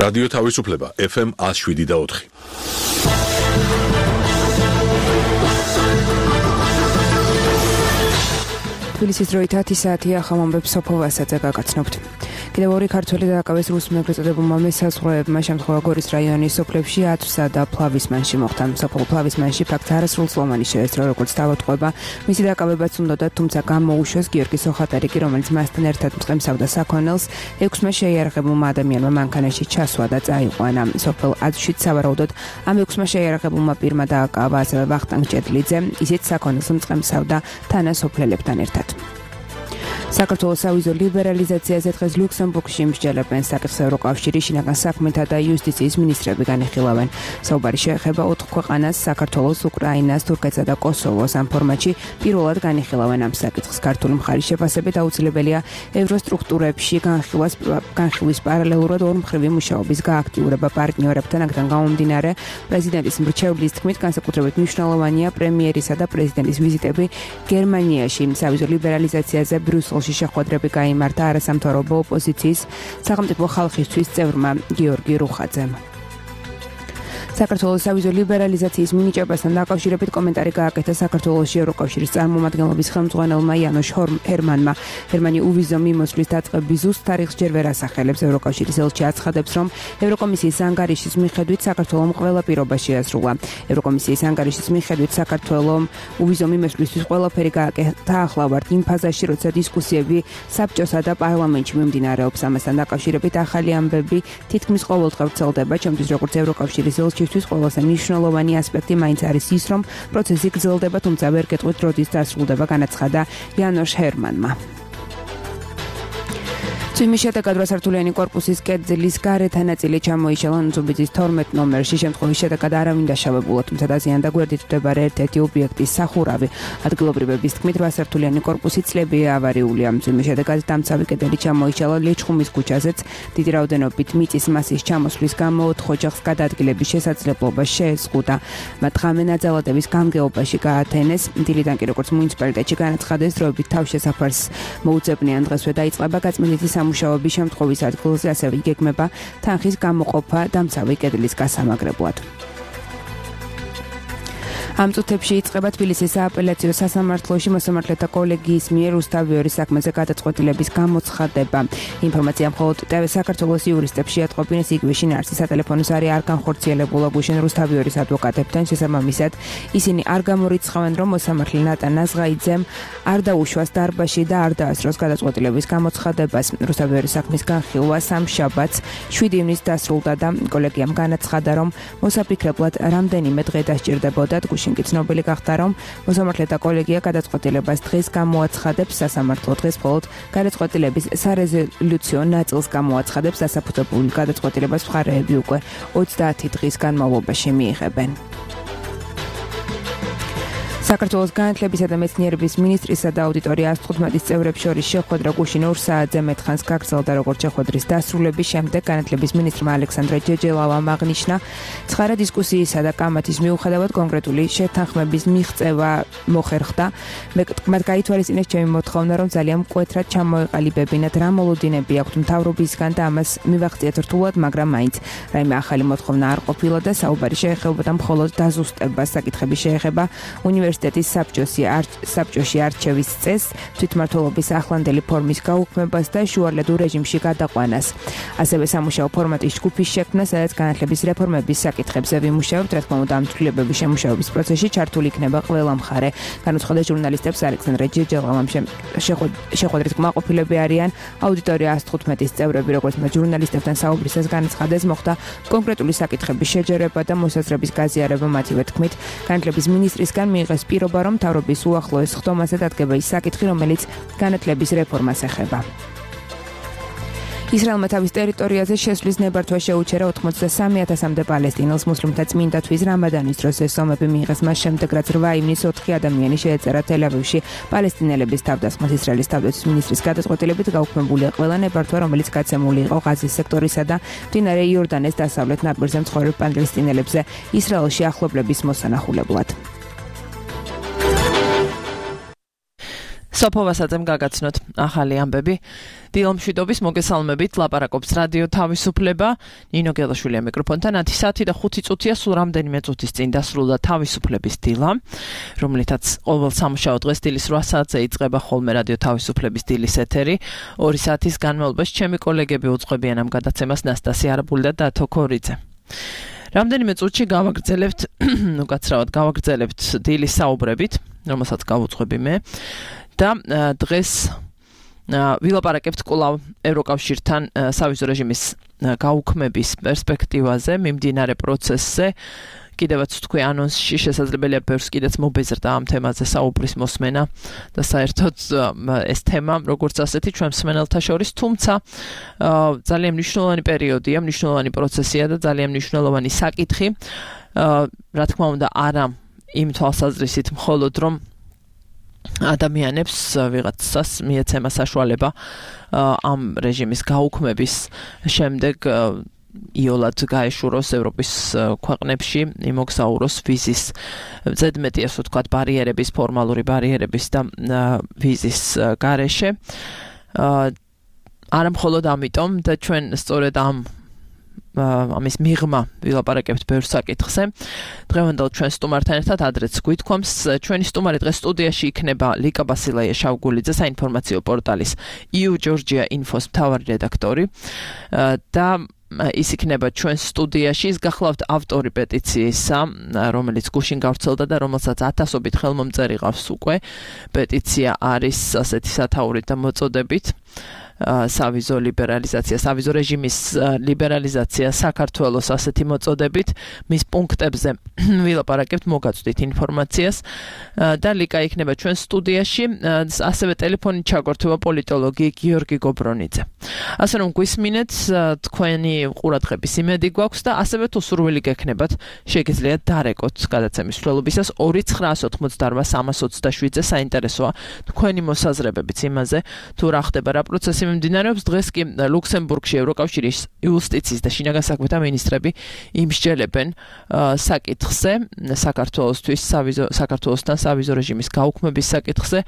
რადიო თავისუფლება FM 107.4. თბილისის დროით 10 საათია ხამამბებს სოფო ვასაძე გაგაცნობთ. კიდევ ორი ქართველი დააკავეს რუს მეგრეწოდებულმა მესაზღვრეებმა შემთხვევა გორის რაიონის სოფლებში ათვსა და ფლავისმანში მოხდა. სოფელ ფლავისმანში ფაქტს არასრულწლოვანი შეესწრო, როგორც დავატყვება. მისი დააკავებაც უნდოდა, თუმცა გამოუშვეს გიორგი სოხატარიკი, რომელიც მასთან ერთად მწყემსავდა საქონელს. 6-მა შეიარაღებულმა ადამიანმა მანქანაში ჩასვა და წაიყვანა. სოფელ აზშიც სავარაუდოდ ამ 6-მა შეიარაღებულმა პირმა დააკავა ასევე ვახტანგ ჭედლიძე, ისიც საქონელს მწყემსავდა თანასოფლელებთან ერთად. საქართველოს სავიზო ლიბერალიზაციაზე დღეს ლუქსემბურგში მსჯელებენ საკითხს ევროკავშირი, შინაგან საქმეთა და იუსტიციის მინისტრები განიხილავენ. საუბარი შეეხება 4 ქვეყანას, საქართველოს, უკრაინას, თურქეთსა და კოსოვოს. ამ ფორმატში პირველად განიხილავენ ამ საკითხს. ქართული მხარის შეფასებით აუცილებელია ევროსტრუქტურებში განხილვის პარალელურად ორმხრივი მუშაობის გააქტიურება პარტნიორებთან. აქედან გამომდინარე, პრეზიდენტის მრჩევლის თქმით, განსაკუთრებით მნიშვნელოვანია პრემიერისა და პრეზიდენტის ვიზიტები გერმანიაში. სავიზო ლიბერალიზაციაზე ბრიუსელში შეხვედრები გაიმართა არასამთავრობო ოპოზიციის სახელმწიფო ხალხისთვის წევრმა გიორგი რუხაძემ. საქართველოს სავიზო ლიბერალიზაციის მინიჭებასთან დაკავშირებით კომენტარი გააკეთა საქართველოში ევროკავშირის წარმომადგენლობის ხელმძღვანელმა იანოშ ჰერმანმა. ჰერმანი უვიზო მიმოსვლის დაწყების ზუსტ თარიღს ჯერ ვერ ასახელებს. ევროკავშირის ელჩი აცხადებს, რომ ევროკომისიის ანგარიშის მიხედვით საქართველომ ყველა პირობა შეასრულა. ევროკომისიის ანგარიშის მიხედვით საქართველომ უვიზო მიმოსვლისთვის ყველაფერი გააკეთა. ახლა ვართ იმ ფაზაში, როცა დისკუსიები საბჭოსა და პარლამენტში მიმდინარეობს. ამასთან დაკავშირებით ახალი ამბები თითქმის ყოველდღე ვრცელდება. ჩემთვის როგორც ევროკავშირის ელჩი ყველაზე მნიშვნელოვანი ასპექტი მაინც არის ის, რომ პროცესი გრძელდება, თუმცა ვერ გეტყვით როდის დასრულდება, განაცხადა იანოშ ჰერმანმა. წვიმის შედეგად 8 სართულიანი კორპუსის კედლის გარეთა ნაწილი ჩამოიშალა ნუცუბიძის 12 ნომერში. შემთხვევის შედეგად არავინ დაშავებულა, თუმცა დაზიანდა გვერდით მდებარე ერთ-ერთი ობიექტის სახურავი. ადგილობრივების თქმით, 8 სართულიანი კორპუსი წლებია ავარიულია. წვიმის შედეგად დამცავი კედელი ჩამოიშალა ლეჩხუმის ქუჩაზეც. დიდი რაოდენობით მიწის მასის ჩამოსვლის გამო 4 ოჯახს გადაადგილების შესაძლებლობა შეეზღუდა. მათ ღამე ნაძალადების გამგეობაში გაათენეს. დილიდან კი როგორც მუნიციპალიტეტში განაცხადეს, დროებით თავშესაფარს მოუძებნიან. დღესვე დაიწყება გაწმენდითი სამუშაოების შემთხვევის ადგილზე, ასევე იგეგმება თანხის გამოყოფა დამცავი კედლის გასამაგრებლად. ამ წუთებში იწყება თბილისის სააპელაციო სასამართლოში მოსამართლეთა კოლეგიის მიერ რუსთავიორის საქმეზე გადაწყვეტილების გამოცხადება. ინფორმაცია მხოლოდ TV საქართველოს იურისტებს შეატყობინეს, იგივე შინაარსის სატელეფონო ზარი არ განხორციელებულა გუშინ რუსთავიორის ადვოკატებთან. შესაბამისად, ისინი არ გამორიცხავენ, რომ მოსამართლე ნატა ნაზღაიძემ არ დაუშვას დარბაზში და არ დაასწროს გადაწყვეტილების გამოცხადებას. რუსთავიორის საქმის განხილვა სამშაბათს 7 ივნისს დასრულდა და კოლეგიამ განაცხადა, რომ მოსაფიქრებლად რამდენიმე დღე დასჭირდებოდა. შინკი ცნობილი გახდა, რომ მოსამართლეთა კოლეგია გადაწყვეტილებას დღეს გამოაცხადებს. სასამართლო დღეს მხოლოდ გადაწყვეტილების სარეზოლუციო ნაწილს გამოაცხადებს. დასაფუძრებულ გადაწყვეტილებას მხარეები უკვე 30 დღის განმავლობაში მიიღებენ. საქართველოს განათლებისა და მეცნიერების მინისტრისა და აუდიტორია 115 წევრებს შორის შეხვედრა გუშინ 2 საათზე მეტხანს გაგრძელდა. როგორც შეხვედრის დასრულების შემდეგ განათლების მინისტრმა ალექსანდრე ჯეჯელავამ აღნიშნა, ცხარა დისკუსიისა და კამათის მიუხედავად კონკრეტული შეთანხმების მიღწევა მოხერხდა. მათ გაითვალისწინეს ჩემი მოთხოვნა, რომ ძალიან მკვეთრად ჩამოეყალიბებინათ რა მოლოდინები აქვთ მთავრობისგან და ამას მივახციეთ რთულად, მაგრამ მაინც რაიმე ახალი მოთხოვნა არ ყოფილა და საუბარი შეეხებოდა მხოლოდ დაზუსტებას. საკითხები შეეხება უნივერსიტეტის საბჭოში არჩევის წესს, თვითმმართველობის ახლანდელი ფორმის გაუქმებას და შუალედურ რეჟიმში გადაყვანას. ასევე სამუშაო ფორმატის ჯგუფის შექმნა, სადაც განათლების რეფორმების საკითხებზე ვიმუშავებთ. რა თქმა უნდა, ამ ცვლილებების შემუშავების პროცესში ჩართული იქნება ყველა მხარე. განუცხადა ჟურნალისტებს ალექსანდრე ჯეჯელავამ. შეხვედრის კმაყოფილები არიან აუდიტორია 115 წევრები, როგორც მათ ჟურნალისტებთან საუბრისას განაცხადეს, მოხდა კონკრეტული საკითხების შეჯერება და მოსაზრების გაზიარება. მათივე თქმით, განათლების მინისტრისგან მიიღეს პირობა, რომ მთავრობის უახლოეს ხდომაზე დადგება ის საკითხი, რომელიც განათლების რეფორმას ეხება. ისრაელმა თავის ტერიტორიაზე შესვლის ნებართვა შეუჩერა 83,000-მდე პალესტინელს მუსლიმთა წმინდა თვის რამადანის დროს. ეს ომები მიიღეს მას შემდეგ, რაც 8 ივნისს 4 ადამიანი შეეწერა თელ-ავივში პალესტინელების თავდასხმას. ისრაელის თავდაცვის მინისტრის გადაწყვეტილებით გაუქმებულია ყველა ნებართვა, რომელიც გაცემული იყო ღაზის სექტორისა და მდინარე იორდანეს დასავლეთ ნაპირზე მცხოვრებ პალესტინელებზე ისრაელში ახლობლების მოსანახულებლად. სოფოვასაძემ გაგაცნოთ ახალი ამბები. დილომშვიდობის მოგესალმებით, ლაპარაკობს რადიო თავისუფლება. ნინო გელაშვილია მიკროფონთან. 10 და 5 წუთია, სულ რამდენიმე წუთის წინ დასრულდა თავისუფლების დილა, რომლითაც ყოველ სამუშაო დღეს დილის 8 საათზე იწყება ხოლმე რადიო თავისუფლების დილის ეთერი. 2 საათის განმავლობაში ჩემი კოლეგები უძღვებიან ამ გადაცემას ნასტასია არაბული და დათო ქორიძე. რამდენიმე წუთში გავაგრძელებთ დილის საუბრებით, რომელსაც გავუძღვები მე. და დღეს ვილაპარაკებთ კვლავ ევროკავშირთან სავიზო რეჟიმის გაუქმების პერსპექტივაზე, მიმდინარე პროცესზე. კიდევაც თქვი ანონსში შესაძლებელია ბევრს კიდეც მობეზრდა ამ თემაზე საუბრის მოსმენა და საერთოდ ეს თემა როგორც ასეთი ჩვენ მსმენელთა შორის, თუმცა ძალიან მნიშვნელოვანი პერიოდია, მნიშვნელოვანი პროცესია და ძალიან მნიშვნელოვანი საკითხი. რა თქმა უნდა, არა იმ თვალსაზრისით მხოლოდ რომ ადამიანებს ვიღაცას მიეცემა საშუალება ამ რეჟიმის გაუქმების შემდეგ იოლად გაეშუროს ევროპის ქვეყნებში, იმოგზაუროს ვიზის ზედმეტი, ასე ვთქვათ, ბარიერების, ფორმალური ბარიერების და ვიზის გარეშე. არა მხოლოდ ამიტომ და ჩვენ სწორედ ამის მიღმა ვილაპარაკებთ ბევრ საკითხზე. დღევანდელ ჩვენ სტუმართან ერთად ადრეც გვითქვამს, ჩვენი სტუმარი დღეს სტუდიაში იქნება ლიკა ბასილაია შავგულიძე, საინფორმაციო პორტალის EU Georgia Info-s მთავარი რედაქტორი და ის იქნება ჩვენ სტუდიაში. ის გახლავთ ავტორი პეტიციისა, რომელიც გუშინ გავრცელდა და რომელსაც 1000-ობით ხელმომწერი ყავს უკვე. პეტიცია არის ასეთი სათაურით და მოწოდებით. სავიზო ლიბერალიზაცია, სავიზო რეჟიმის ლიბერალიზაცია საქართველოს ასეთი მოწოდებით. მის პუნქტებზე ვილაპარაკებთ, მოგაწვდით ინფორმაციას და ლიკა იქნება ჩვენ სტუდიაში, ასევე ტელეფონით ჩაგვერთვება პოლიტოლოგი გიორგი გობრონიძე. ასე რომ გვისმინეთ, თქვენი ყურადღების იმედი გვაქვს და ასევე თუ სურვილი გექნებათ, შეგიძლიათ დარეკოთ გადაცემის მსვლელობისას 2988327-ზე. საინტერესოა თქვენი მოსაზრებებიც იმაზე, თუ რა ხდება, რა პროცესი მიმდინარეობს. დღეს კი ლუქსემბურგში ევროკავშირის იუსტიციის და შინაგან საქმეთა მინისტრები იმსჯელებენ საკითხზე, საქართველოსთან სავიზო რეჟიმის გაუქმების საკითხზე.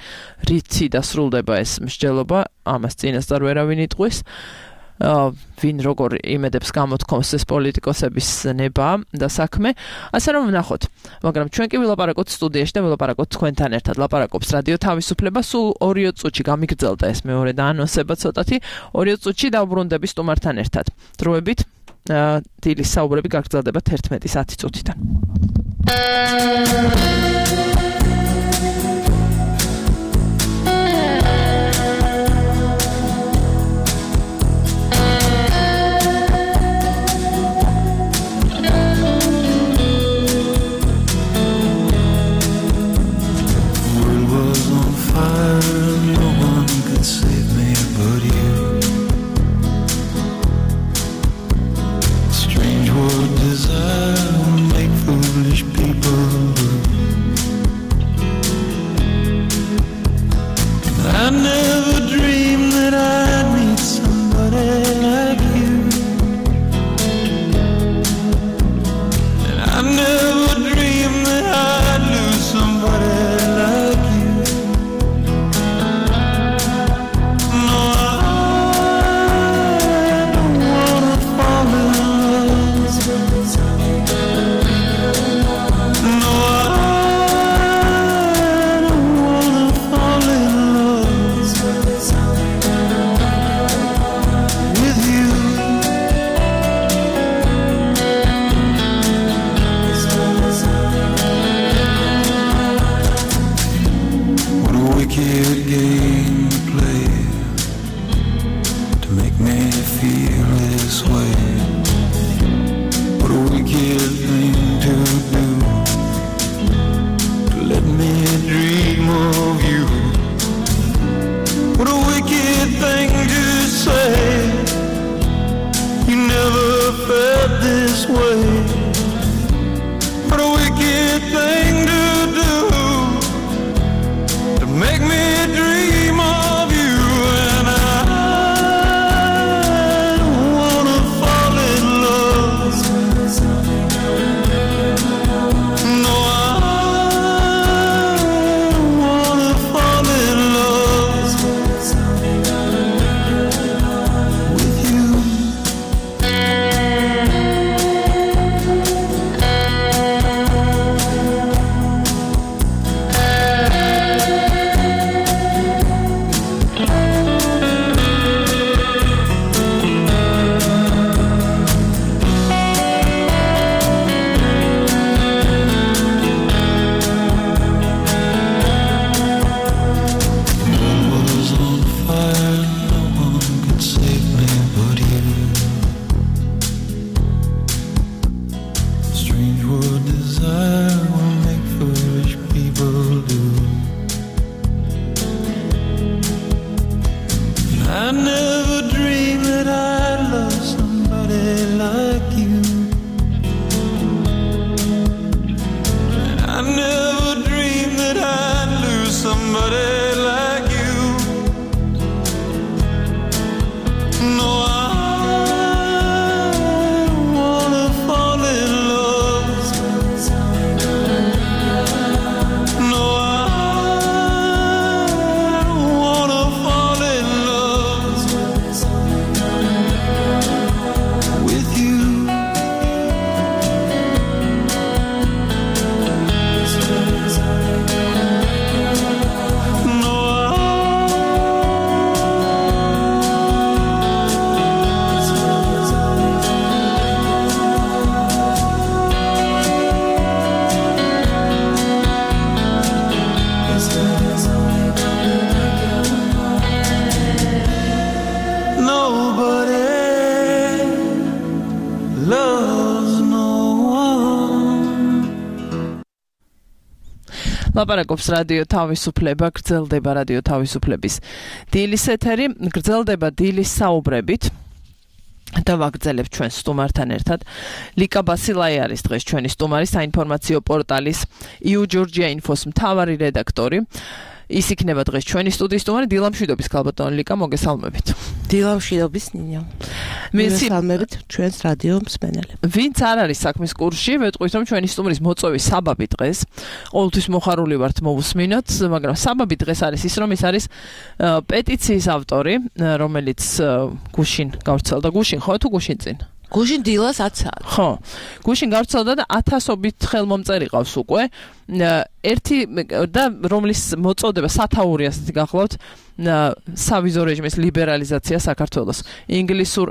რითი დასრულდება ეს მსჯელობა, ამას წინასწარ ვერავინ იტყვის. ვინ როგორ იმედებს გამოთქვამს ეს პოლიტიკოსების ნება და საქმე. ასე რომ ვნახოთ. მაგრამ ჩვენ კი ვილაპარაკოთ სტუდიაში და ვილაპარაკოთ თქვენთან ერთად. ლაპარაკობს რადიო თავისუფლება. სულ 2 წუთში გამიგრძელდა ეს მეორე და ანონსება ცოტათი. 2 წუთში დავბრუნდები სტუმართან ერთად. დროებით დილის საუბრები გაგრძელდება 11:10 წუთიდან. No, I don't wanna fall in love. I never dreamed that I'd love somebody like you. And I never dreamed that I'd lose somebody like you. No, I don't wanna fall in love. No, I don't wanna fall in love with you. No, nobody loves no one. ლაპარაკობს რადიო თავისუფლება, გრძელდება რადიო თავისუფლების დილის ეთერი, გრძელდება დილის საუბრებით და ვაგრძელებთ ჩვენ სტუმართან ერთად. ლიკა ბასილაი არის დღეს ჩვენი სტუმარი, საინფორმაციო პორტალის EU Georgia Infos მთავარი რედაქტორი. ის იქნება დღეს ჩვენი სტუდიის სტუმარი. დილამშვიდობის ქალბატონი ლიკა, მოგესალმებით. დილამშვიდობის ნინო. მოგესალმებით ჩვენს რადიო მსმენელებს. ვინც არ არის საქმის კურსში, ვეტყვით რომ ჩვენი სტუმრის მოწვევის საბაბი დღეს, ყოველთვის მოხარული ვართ მოვუსმინოთ, მაგრამ საბაბი დღეს არის ის, რომ ის არის პეტიციის ავტორი, რომელიც გუშინ გავრცელდა. გუშინ ხო თუ გუშინ წინ? გუშინ დილას 10-ად. ხო, გუშინ გავრცელდა და 1000-ობით ხელმომწერი ყავს უკვე. ერთი და რომლის მოწოდება სათაური ასეთი გახლავთ, სავიზო რეჟიმის ლიბერალიზაცია საქართველოს. ინგლისურ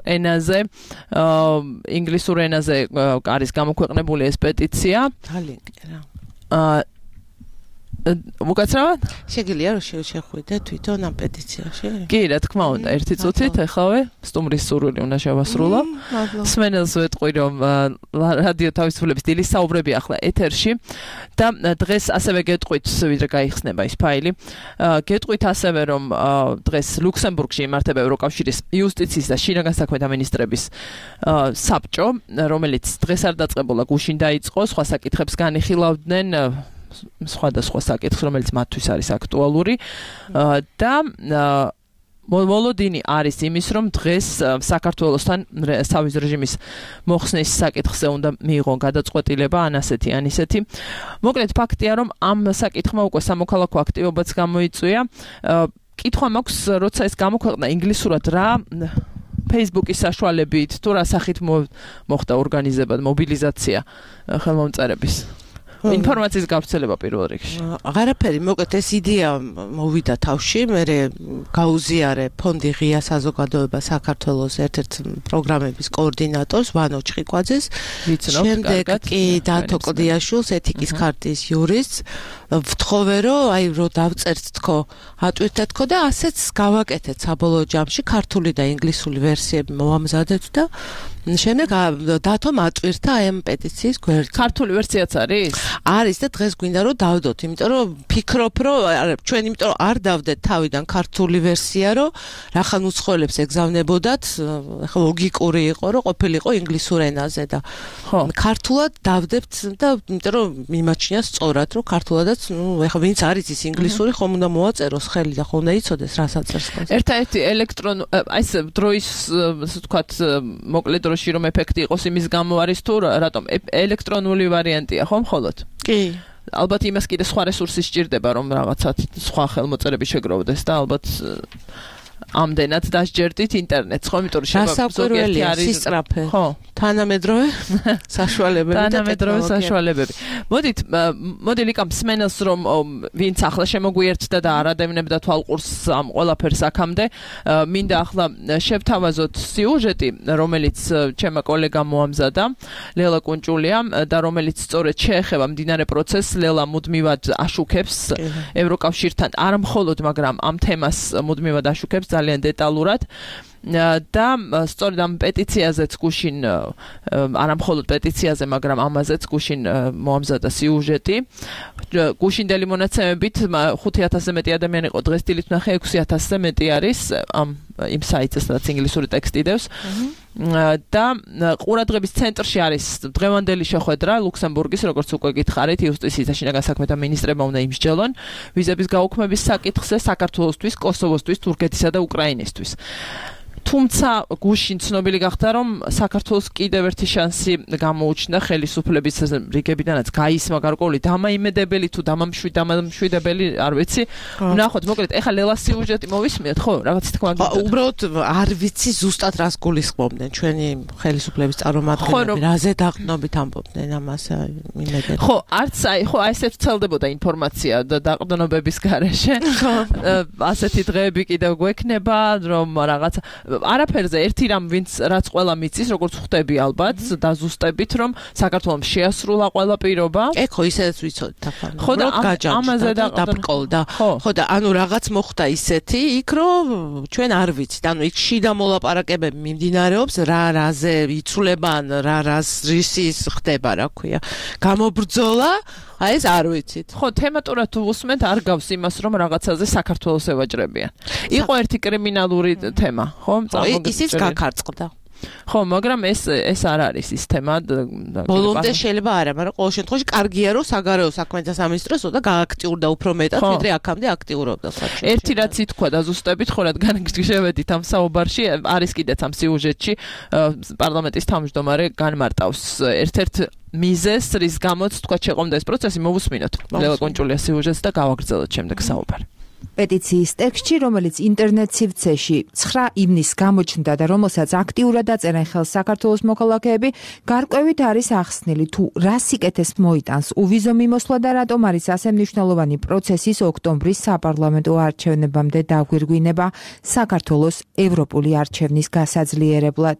ენაზე არის გამოქვეყნებული ეს პეტიცია. ძალიან რა. უკაცრავად? შეგიძლია რომ შეხვიდე თვითონ ამ პეტიციაში? კი, რა თქმა უნდა, ერთი წუთით ეხავე სტუმრის სურვილი უნდა შევასრულო. სმენელს ვეტყვი რომ რადიო თავისუფლების დილის საუბრები ახლა ეთერში და დღეს ასევე გეტყვით, ვიდრე გაიხსნება ის ფაილი. გეტყვით ასევე რომ დღეს ლუქსემბურგში იმართება ევროკავშირის იუსტიციის და შინაგან საქმეთა მინისტრების საბჭო, რომელიც დღეს არ დაწყებულა, გუშინ დაიწყო, სხვა საკითხებს განიხილავდნენ სხვადასხვა საკითხს, რომელიც მათთვის არის აქტუალური და მოლოდინი არის იმის, რომ დღეს საქართველოსთან სავიზო რეჟიმის მოხსნის საკითხზე უნდა მიიღონ გადაწყვეტილება ან ასეთი ან ისეთი. მოკლედ ფაქტია, რომ ამ საკითხმა უკვე სამოქალაქო აქტივობაც გამოიწვია. კითხვა მაქვს, როცა ეს გამოქვეყნა ინგლისურად რა Facebook-ის საშუალებით თუ რა სახით მოხდა ორგანიზება, მობილიზაცია ხელმომწერების. ინფორმაციის გავრცელება პირველ რიგში. აღარაფერი, მოკლედ ეს იდეა მოვიდა თავში, მე გაუზიარე ფონდი ღია საზოგადოება საქართველოს ერთ-ერთ პროგრამების კოორდინატორს ვანო ჩხიკვაძეს, შემდეგ კი დათო კლდიაშვილს, ეთიკის ქარტის იურისტს, ვთხოვე რომ აი რო დავწერთ თქო, ატვირთეთ თქო და ასეც გავაკეთეთ საბოლოო ჯამში ქართული და ინგლისური ვერსიები მოვამზადეთ და შემდეგ დათომ ატვირთა ამ პეტიციის გვერდს. ქართული ვერსიაც არის? არის და დღეს გვინდა რომ დავდოთ, იმიტომ რომ ფიქრობ რომ ჩვენ იმიტომ რომ არ დავდეთ თავიდან ქართული ვერსია, რომ რახან უცხოელებს ეგზავნებოდათ, ახლა ლოგიკური იყო, რომ ყოფილიყო ინგლისურ ენაზე და ქართულად დავდებთ და იმიტომ რომ მიმაჩნია სწორად, რომ ქართულადაც, ახლა ვინც არის ის ინგლისური, ხომ უნდა მოაწეროს ხელი და ხომ უნდა იცოდეს რა საწერს. ერთ-ერთი აი ეს დროის, ასე ვთქვათ, მოკლედ დროში რომ ეფექტი იყოს იმის გამო არის თუ რატომ ელექტრონული ვარიანტია ხო მხოლოდ? კი. ალბათ იმას კიდე სხვა რესურსი სჭირდება რომ რაღაცა სხვა ხელმოწერები შეგროვდეს და ალბათ ამდენად დასჯერდით ინტერნეტს, ხო, იმიტომ რომ ზოგიერთი არის სისწრაფე. ხო, თანამედროვე საშუალებები და თანამედროვე საშუალებები. მოდი ლიკა მსმენელს რომ ვინც ახლა შემოგვიერთდა და არ ადევნებდა თვალყურს ამ ყველაფერს აქამდე, მინდა ახლა შევთავაზოთ სიუჟეტი, რომელიც ჩემმა კოლეგამ მოამზადა, ლელა კუნჭულია და რომელიც სწორედ შეეხება მდინარე პროცესს. ლელა მუდმივად აშუქებს ევროკავშირთან, არ მხოლოდ, მაგრამ ამ თემას მუდმივად აშუქებს ძალიან დეტალურად. და სწორედ ამ პეტიციაზეც გუშინ არა მხოლოდ პეტიციაზე, მაგრამ ამაზეც გუშინ მოამზადა სიუჟეტი. გუშინდელი მონაცემებით 5000-ზე მეტი ადამიანი იყო დღეს დილით ვნახე 6000-ზე მეტი არის ამ იმ საიტზე, სადაც ინგლისური ტექსტი დევს. და ყურადღების ცენტრში არის დღევანდელი შეხვედრა ლუქსემბურგის, როგორც უკვე გითხარით, იუსტიციის და შინაგან საქმეთა მინისტრებმა უნდა იმსჯელონ ვიზების გაუქმების საკითხზე საქართველოსთვის, კოსოვოსთვის, თურქეთისა და უკრაინისთვის. თუმცა გუშინ ცნობილი გახდა, რომ საქართველოს კიდევ ერთი შანსი გამოუჩნდა ხელისუფლების რიგებიდანაც გაისმა გარკვეული დამაიმედებელი თუ დამამშვიდებელი, არ ვიცი. ვნახოთ, მოკლედ, ეხლა ლელას სიუჟეტი მოვისმიათ, ხო? რაღაც თქმა უნდა. უბრალოდ არ ვიცი ზუსტად რას გულისხმობდნენ ჩვენი ხელისუფლების წარმომადგენლები, რაზე დაყრდნობით ამბობდნენ ამას იმედად. ხო, არც აი ესეც ვრცელდებოდა ინფორმაცია დაყრდნობების გარეშე. ასეთი დღეები კიდევ გვექნება, რომ რაღაცა არაფერზე ერთი რამ რაც ყველა მიცის, როგორც ხვდები ალბათ, დაზუსტებით, რომ საქართველოს შეასრულა ყველა პირობა. ხო, ისედაც ვიცოდით ახლა. ხო და ამაზე დაბრკოლდა. ხო და ანუ რაღაც მოხდა ისეთი, იქ რომ ჩვენ არ ვიცით. ანუ იქ შიდა მოლაპარაკებები მიმდინარეობს, რაზე იცვლება, რისის ხდება, რა ქვია. გამობრძოლა აი ეს არ ვიცით. ხო, თემატურად თუ უსმენთ, არ გავს იმას, რომ რაღაცაზე საქართველოს ევაჭრებიან. იყო ერთი კრიმინალური თემა, ხო? ისიც გაქარწყდა. ხო, მაგრამ ეს არ არის ის თემა. ბოლომდე შეიძლება არა, მაგრამ ყოველ შემთხვევაში კარგია, რომ საგარეო საქმეთა სამინისტროს და გააქტიურდა უფრო მეტად, ვიდრე აქამდე აქტიურობდა საჩუქრად. ერთი რაც ითქვა დაზუსტებით, ხო, რადგან შევედით ამ საუბარში, არის კიდეც ამ სიუჟეტში პარლამენტის თავმჯდომარე განმარტავს ერთ-ერთ მიზეს, რის გამოც თქვა შეყომდა ეს პროცესი, მოვუსმინოთ. ლელა კონჭულიას სიუჟეტს და გავაგრძელოთ შემდეგ საუბარი. პეტიციის ტექსტში, რომელიც ინტერნეტ სივრცეში 9 ივნისს გამოჩნდა და რომელსაც აქტიურად აწერენ ხელს საქართველოს მოქალაქეები, გარკვევით არის ახსნილი თუ რა სიკეთეს მოიტანს უვიზო მიმოსვლა და რატომ არის ასე მნიშვნელოვანი პროცესის ოქტომბრის საპარლამენტო არჩევნებამდე დაგვირგვინება საქართველოს ევროპული არჩევნის გასაძლიერებლად.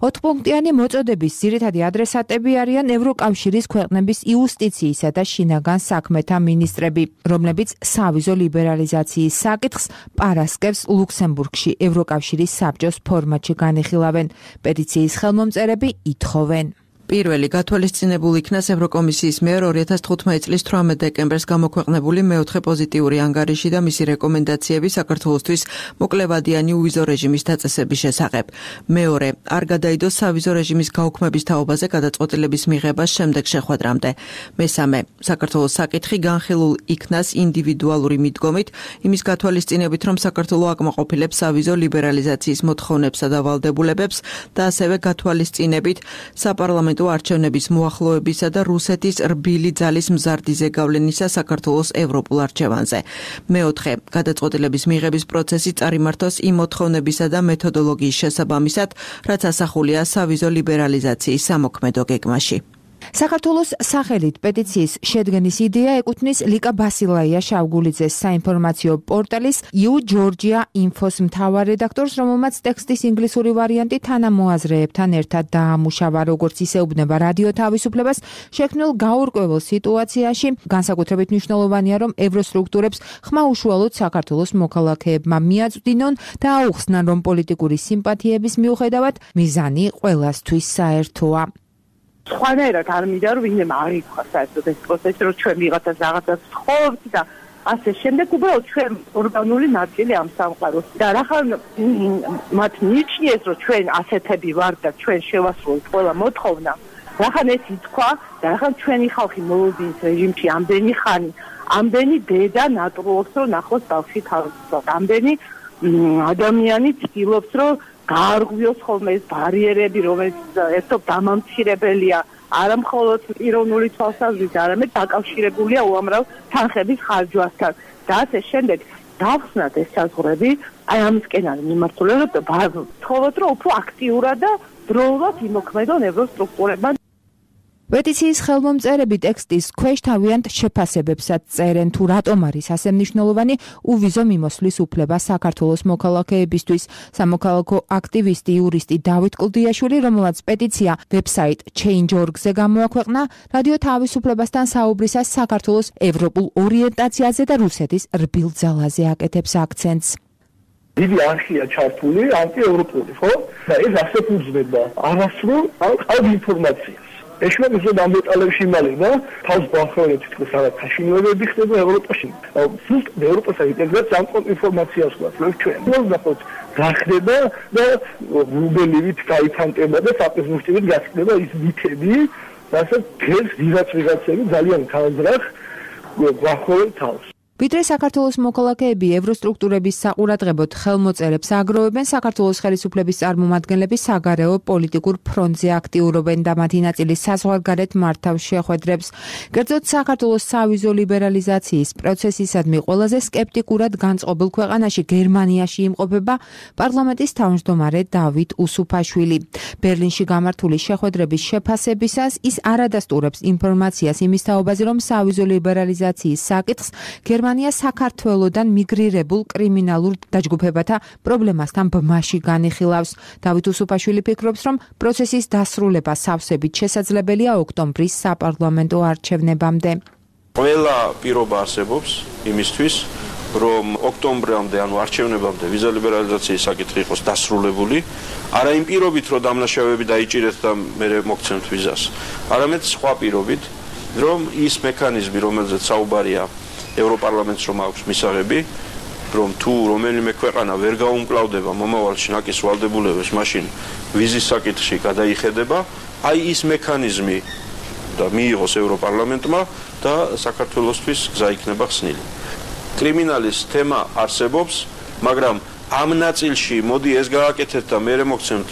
4 პუნქტიანი მოწოდების ძირითადი ადრესატები არიან ევროკავშირის ქვეყნების იუსტიციისა და შინაგან საქმეთა მინისტრები, რომლებიც სავიზო ლიბერალიზაციის საკითხს პარასკევს ლუქსემბურგში ევროკავშირის საბჭოს ფორმატში განიხილავენ. პეტიციის ხელმომწერები ითხოვენ პირველი გათვალისწინებულ იქნას ევროკომისიის მიერ 2015 წლის 18 დეკემბერს გამოქვეყნებული მეოთხე პოზიტიური ანგარიში და მისი რეკომენდაციები საქართველოსთვის მოკლევადიანი უვიზო რეჟიმის დაწესების შესახებ. მეორე, არ გადაიდოს სავიზო რეჟიმის გაუქმების თაობაზე გადაწყვეტილების მიღებას შემდეგ შეხვედრამდე. მესამე, საქართველოს საკითხი განხილულ იქნას ინდივიდუალური მიდგომით, იმის გათვალისწინებით, რომ საქართველო აკმაყოფილებს სავიზო ლიბერალიზაციის მოთხოვნებსა და ვალდებულებებს და ასევე გათვალისწინებით საპარლამენტო არჩევნების მოახლოებისა და რუსეთის რბილი ძალის მზარდი ზეგავლენისა საქართველოს ევროპულ არჩევანზე. მეოთხე, გადაწყვეტილების მიღების პროცესი წარიმართოს იმ მოთხოვნებისა და მეთოდოლოგიის შესაბამისად, რაც ასახულია სავიზო ლიბერალიზაციის სამოქმედო გეგმაში. საქართველოს სახელით პეტიციის შედგენის იდეა ეკუთვნის ლიკა ბასილაია შავგულიძეს საინფორმაციო პორტალის You Georgia Info-ს მთავარ რედაქტორს, რომელმაც ტექსტის ინგლისური ვარიანტი თანამოაზრეებთან ერთად დაამუშავა, როგორც ისეუბნება რადიო თავისუფლებას, შექმნილ გაურკვეველ სიტუაციაში განსაკუთრებით მნიშვნელოვანია, რომ ევროსტრუქტურებს ხმა უშუალოდ საქართველოს მოქალაქეებმა მიაწვდინონ და აუხსნან, რომ პოლიტიკური სიმპათიების მიუხედავად მიზანი ყველასთვის საერთოა. სხვანაირად არ მინდა რომ ვინმე აღიქვა საერთოდ ეს პროცესი, რომ ჩვენ ვიღაცას რაღაცას ვთხოვთ და ასე შემდეგ, უბრალოდ ჩვენ ორგანული ნაწილი ამ სამყაროს და რახან მათ მიიჩნიეს, რომ ჩვენ ასეთები ვართ და ჩვენ შევასრულოთ ყველა მოთხოვნა, რახან ეს ითქვა და რახან ჩვენი ხალხი მოლოდინის რეჟიმში ამდენი ხანი, ამდენი დედა ნატურობს, რომ ნახოს ბავშვი თავისუფლად, ამდენი ადამიანი ცდილობს, რომ გაარღვიოს ხოლმე ეს ბარიერები, რომელიც ერთობ დამამცირებელია, არა მხოლოდ პიროვნული თვალსაზრისით, არამედ დაკავშირებულია უამრავ თანხების ხარჯვასთან. და ასე შემდეგ დავხსნათ ეს საზღვრები, აი ამისკენ არის მიმართული, რომ ვთხოვოთ, რომ უფრო აქტიურად და დროულად იმოქმედონ ევროსტრუქტურებთან. პეტიციის ხელმომწერები ტექსტის ქვეშ თავიანთ შეფასებებსაც წერენ, თუ რატომ არის ასე მნიშვნელოვანი უვიზო მიმოსვლის უფლება საქართველოს მოქალაქეებისთვის. სამოქალაქო აქტივისტი იურისტი დავით კლდიაშვილი, რომელსაც პეტიცია ვებსაიტ Change.org-ზე გამოაქვეყნა, რადიო თავისუფლებასთან საუბრისას საქართველოს ევროპულ ორიენტაციაზე და რუსეთის რბილ ძალაზე აკეთებს აქცენტს. დიდი არხია ჩართული ანტიევროპული, ხო? და ეს ასეთ უძღვება არასრულ ყალბ ინფორმაციას. ეშმაკისოდ ამ დეტალებში იმალება, თავს ბახალებს თითქოს რაღაც საშინელებები ხდება ევროპაში. ზუსტ ევროპასა ინტეგრაცია ამ ინფორმაციას გვაქვს ჩვენ. მოხდათ რა ხდება და რუბელივით გაიფანტება და საპრეზიდენტივით გასწრება ის მითები, რასაც დღეს ვიღაცები ძალიან ხალხს გვახოლებს თავს. ვიდრე საქართველოს მოქალაქეები ევროსტრუქტურების საყურადღებოდ ხელმოწერებს აგროვებენ, საქართველოს ხელისუფლების წარმომადგენლები საგარეო პოლიტიკურ ფრონტზე აქტიურობენ და მათი ნაწილი საზღვარგარეთ მართავს შეხვედრებს. კერძოდ საქართველოს სავიზო ლიბერალიზაციის პროცესისადმი ყველაზე სკეპტიკურად განწყობილ ქვეყანაში გერმანიაში იმყოფება პარლამენტის თავმჯდომარე დავით უსუფაშვილი. ბერლინში გამართული შეხვედრების შეფასებისას ის არადასტურებს ინფორმაციას იმის თაობაზე, რომ სავიზო ლიბერალიზაციის საკითხს გერმანია საქართველოდან მიგრირებულ კრიმინალურ დაჯგუფებათა პრობლემასთან ბმაში განიხილავს. დავით უსუფაშვილი ფიქრობს, რომ პროცესის დასრულება სავსებით შესაძლებელია ოქტომბრის საპარლამენტო არჩევნებამდე. ყველა პირობა არსებობს იმისთვის, რომ ოქტომბრამდე, ანუ არჩევნებამდე ვიზა ლიბერალიზაციის საკითხი იყოს დასრულებული, არა იმ პირობით, რომ დამნაშავეები დაიჭირეთ და მე მოგცემთ ვიზას, არამედ სხვა პირობით, რომ ის მექანიზმი, რომელზეც საუბარია ევროპარლამენტს რომ აქვს მისაღები, რომ თუ რომელიმე ქვეყანა ვერ გაუმკლავდება მომავალში ნაკის ვალდებულებას, მაშინ ვიზის საკითხში გადაიხედება, აი ის მექანიზმი და მიიღოს ევროპარლამენტმა და საქართველოსთვის გზა იქნება ხსნილი. კრიმინალის თემა არსებობს, მაგრამ ამ ნაწილში მოდი ეს გააკეთეთ და მე მოგცემთ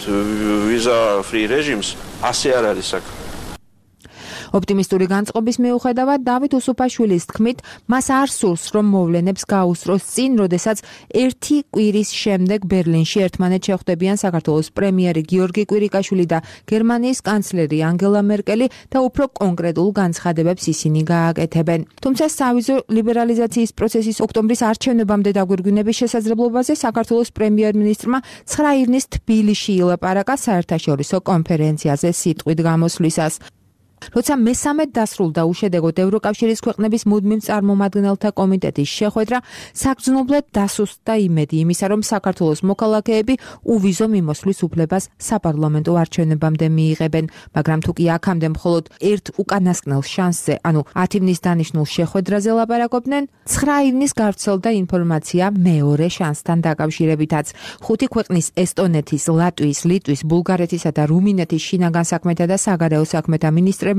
ვიზა ფრი რეჟიმს, ასე არ არის საქმე. ოპტიმისტური განწყობის მიუხედავად დავით უსუფაშვილის თქმით, მას არ სურს, რომ მოვლენებს გაუსწროს წინ, როდესაც ერთი კვირის შემდეგ ბერლინში ერთმანეთს შეხვდებიან საქართველოს პრემიერი გიორგი კვირიკაშვილი და გერმანიის კანცლერი ანგელა მერკელი და უფრო კონკრეტულ განცხადებებს ისინი გააკეთებენ. თუმცა სავიზო ლიბერალიზაციის პროცესის ოქტომბრის არჩევნებამდე დაგვირგვინების შესაძლებლობაზე საქართველოს პრემიერ-მინისტრმა 9 ივნის თბილისში ილაპარაკა საერთაშორისო კონფერენციაზე სიტყვით გამოსვლისას. როცა მესამედ დასრულდა უშედეგოდ ევროკავშირის ქვეყნების მუდმივ წარმომადგენელთა კომიტეტის შეხვედრა, საგრძნობლად დასუსტდა იმედი იმისა, რომ საქართველოს მოქალაქეები უვიზო მიმოსვლის უფლებას საპარლამენტო არჩევნებამდე მიიღებენ, მაგრამ თუ კი აქამდე მხოლოდ ერთ უკანასკნელ შანსზე, ანუ 10 ივნის დანიშნულ შეხვედრაზე ლაპარაკობდნენ, 9 ივნის გავრცელდა ინფორმაცია მეორე შანსთან დაკავშირებითაც. 5 ქვეყნის ესტონეთის, ლატვიის, ლიტვის, ბულგარეთისა და რუმინეთის შინაგან საქმეთა და საგარეო საქმეთა მინისტრები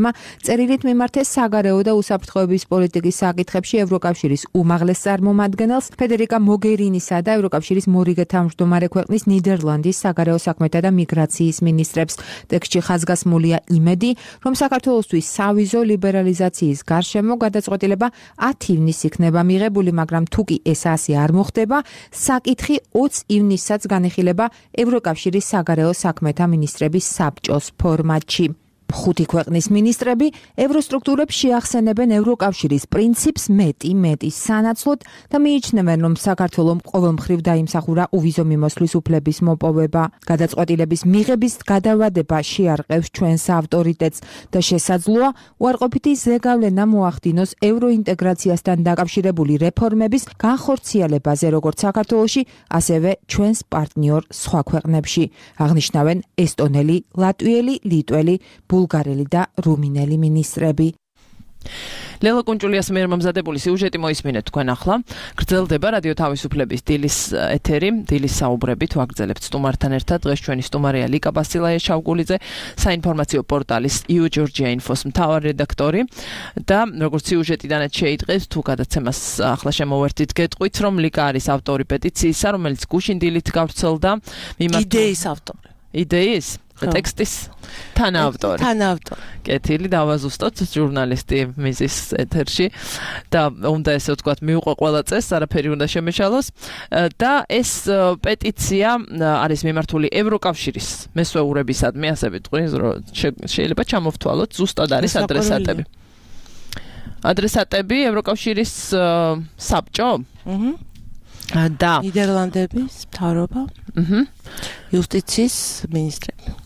წერილით მიმართეს საგარეო და უსაფრთხოების პოლიტიკის საკითხებში ევროკავშირის უმაღლეს წარმომადგენელს ფედერიკა მოგერინისა და ევროკავშირის მორიგე თავმჯდომარე ქვეყნის ნიდერლანდის საგარეო საქმეთა და მიგრაციის მინისტრებს. ტექსტში ხაზგასმულია იმედი, რომ საქართველოსთვის სავიზო ლიბერალიზაციის გარშემო გადაწყვეტილება 10 ივნის იქნება მიღებული, მაგრამ თუ კი ეს ასე არ მოხდება, საკითხი 20 ივნისაც განიხილება ევროკავშირის საგარეო საქმეთა მინისტრების საბჭოს ფორმატში. 5 ქვეყნის მინისტრები ევროსტრუქტურებს შეახსენებენ ევროკავშირის პრინციპს მეტის სანაცვლოდ და მიიჩნევენ, რომ საქართველომ ყოველმხრივ დაიმსახურა უვიზო მიმოსვლის უფლების მოპოვება. გადაწყვეტილების მიღების გადავადება შეარყევს ჩვენს ავტორიტეტს და შესაძლოა უარყოფითი ზეგავლენა მოახდინოს ევროინტეგრაციასთან დაკავშირებული რეფორმების განხორციელებაზე როგორც საქართველოში, ასევე ჩვენს პარტნიორ სხვა ქვეყნებში. აღნიშნავენ ესტონელი, ლატვიელი, ლიტველი, ბულგარელი და რუმინელი მინისტრები. ლელა კუნჭულიას მიერ მომზადებული სიუჟეტი მოისმინეთ თქვენ ახლა. გრძელდება რადიო თავისუფლების დილის ეთერი, დილის საუბრებით ვაგრძელებთ სტუმართან ერთად. დღეს ჩვენი სტუმარია ლიკა ბასილაია შავგულიძე, საინფორმაციო პორტალის EU Georgia Info-ს მთავარი რედაქტორი და როგორც სიუჟეტიდანაც შეიტყეს, თუ გადაცემას ახლა შემოვერთით, გეტყვით, რომ ლიკა არის ავტორი პეტიციისა, რომელიც გუშინ დილით გავრცელდა. იდეის ავტორი. იდეის? ტექსტის თანაავტორი. კეთილი, დავაზუსტოთ ჟურნალისტი მიზის ეთერში და უნდა ესე ვთქვათ, მიუყვა ყველა წესს, არაფერი უნდა შემეშალოს და ეს პეტიცია არის მიმართული ევროკავშირის მესვეურებისადმი, ასე ვიტყვი, შეიძლება ჩამოვთვალოთ, ზუსტად არის ადრესატები. ადრესატები ევროკავშირის საბჭო? და ნიდერლანდების მთავრობა, იუსტიციის მინისტრები.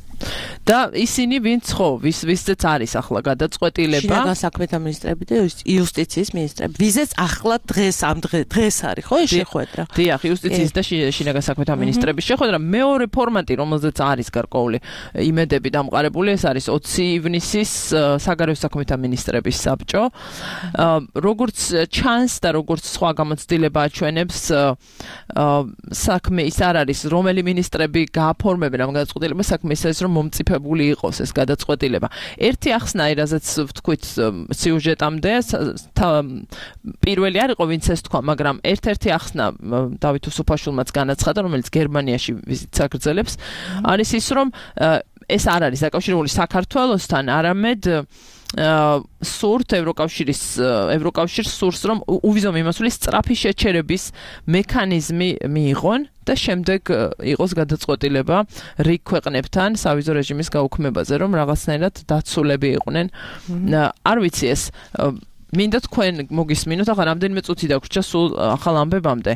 და ისინი ვინც ხო ვისზეც არის ახლა გადაწყვეტილება შინაგან საქმეთა მინისტრები და იუსტიციის მინისტრები ვიზეც ახლა დღეს არის ხო ეს შეხვედრა დიახ იუსტიციის და შინაგან საქმეთა მინისტრების შეხვედრა მეორე ფორმატი რომელზეც არის გარკვეული იმედები დამყარებული ეს არის 20 ივნისის საგარეო საქმეთა მინისტრების საბჭო როგორც ჩანს და როგორც სხვა გამოცდილება აჩვენებს საქმე ის არ არის რომელი მინისტრები გააფორმებენ ამ გადაწყვეტილებას საქმე ის არის რომ მომწიფებული იყოს ეს გადაწყვეტილება ერთი ახსნა რაზეც ვთქვით სიუჟეტამდე პირველი არ იყო ვინც ეს თქვა მაგრამ ერთ-ერთი ახსნა დავით უსუფაშვილმაც განაცხადა რომელიც გერმანიაში ვიზიტს აგრძელებს არის ის რომ ეს არ არის დაკავშირებული საქართველოსთან არამედ სურთ ევროკავშირს სურს რომ უვიზო მიმოსვლის სწრაფი შეჩერების მექანიზმი მიიღონ და შემდეგ იყოს გადაწყვეტილება რიგ ქვეყნებთან სავიზო რეჟიმის გაუქმებაზე რომ რაღაცნაირად დაცულები იყვნენ არ ვიცი ეს მინდა თქვენ მოგისმინოთ ახლა რამდენიმე წუთი დაგვრჩა სულ ახალ ამბებამდე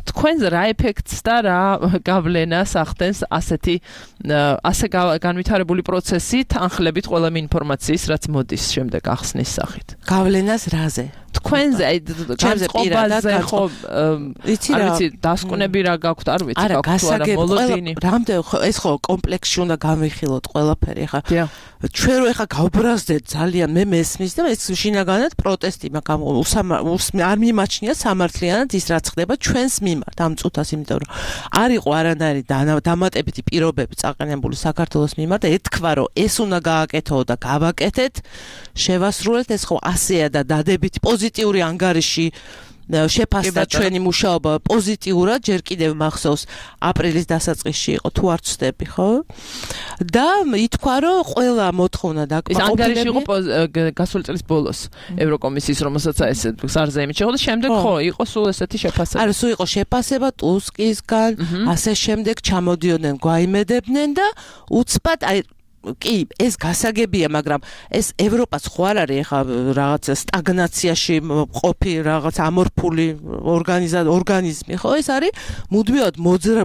თქვენს რა ეფექტს და რა გავლენას ახდენს ასე განვითარებული პროცესი თანხლებით ყველა ინფორმაციის რაც მოდის შემდეგ ახსნის სახით გავლენას რაზე თქვენზე განწყობაზე ხო არ ვიცი დასკვნები რა გაქვთ არ ვიცი გაქვთ არა მოლოდინი რამდენ ეს ხო კომპლექსში უნდა გამიხილოთ ყველაფერი ხა ჩვენ რო ხა გავბრაზდეთ ძალიან მე მესმის და ეს შინაგანად პროტესტი მაგრამ არ მიმაჩნია სამართლიანად ის რაც ხდება ჩვენს მიმართ ამ წუთას იმიტომ რომ არ იყო არანაირი დამატებითი პირობები წაყენებული საქართველოს მიმართ და ეთქვა რომ ეს უნდა გააკეთო და გავაკეთეთ შევასრულეთ ეს ხო ასეა და დადებითი პოზიტიური ანგარიში შეფასდა ჩვენი მუშაობა პოზიტიურად ჯერ კიდევ მახსოვს აპრილის დასაწყისში იყო თუ არ ვცდები ხო და ითქვა რომ ყველა მოთხოვნა დაკმაყოფილებული ანგარიში იყო გასული წლის ბოლოს ევროკომისიის რომელსაც ეს სარზეიმით შეხვდა შემდეგ ხო იყო სულ ესეთი შეფასება არა სულ იყო შეფასება ტუსკისგან ასე შემდეგ ჩამოდიოდნენ გვაიმედებდნენ და უცბად აი კი ეს გასაგებია მაგრამ ეს ევროპას ხო არ არის ახლა რაღაც სტაგნაციაში ყოფი რაღაც ამორფული ორგანიზმი ხო ეს არის მუდმივად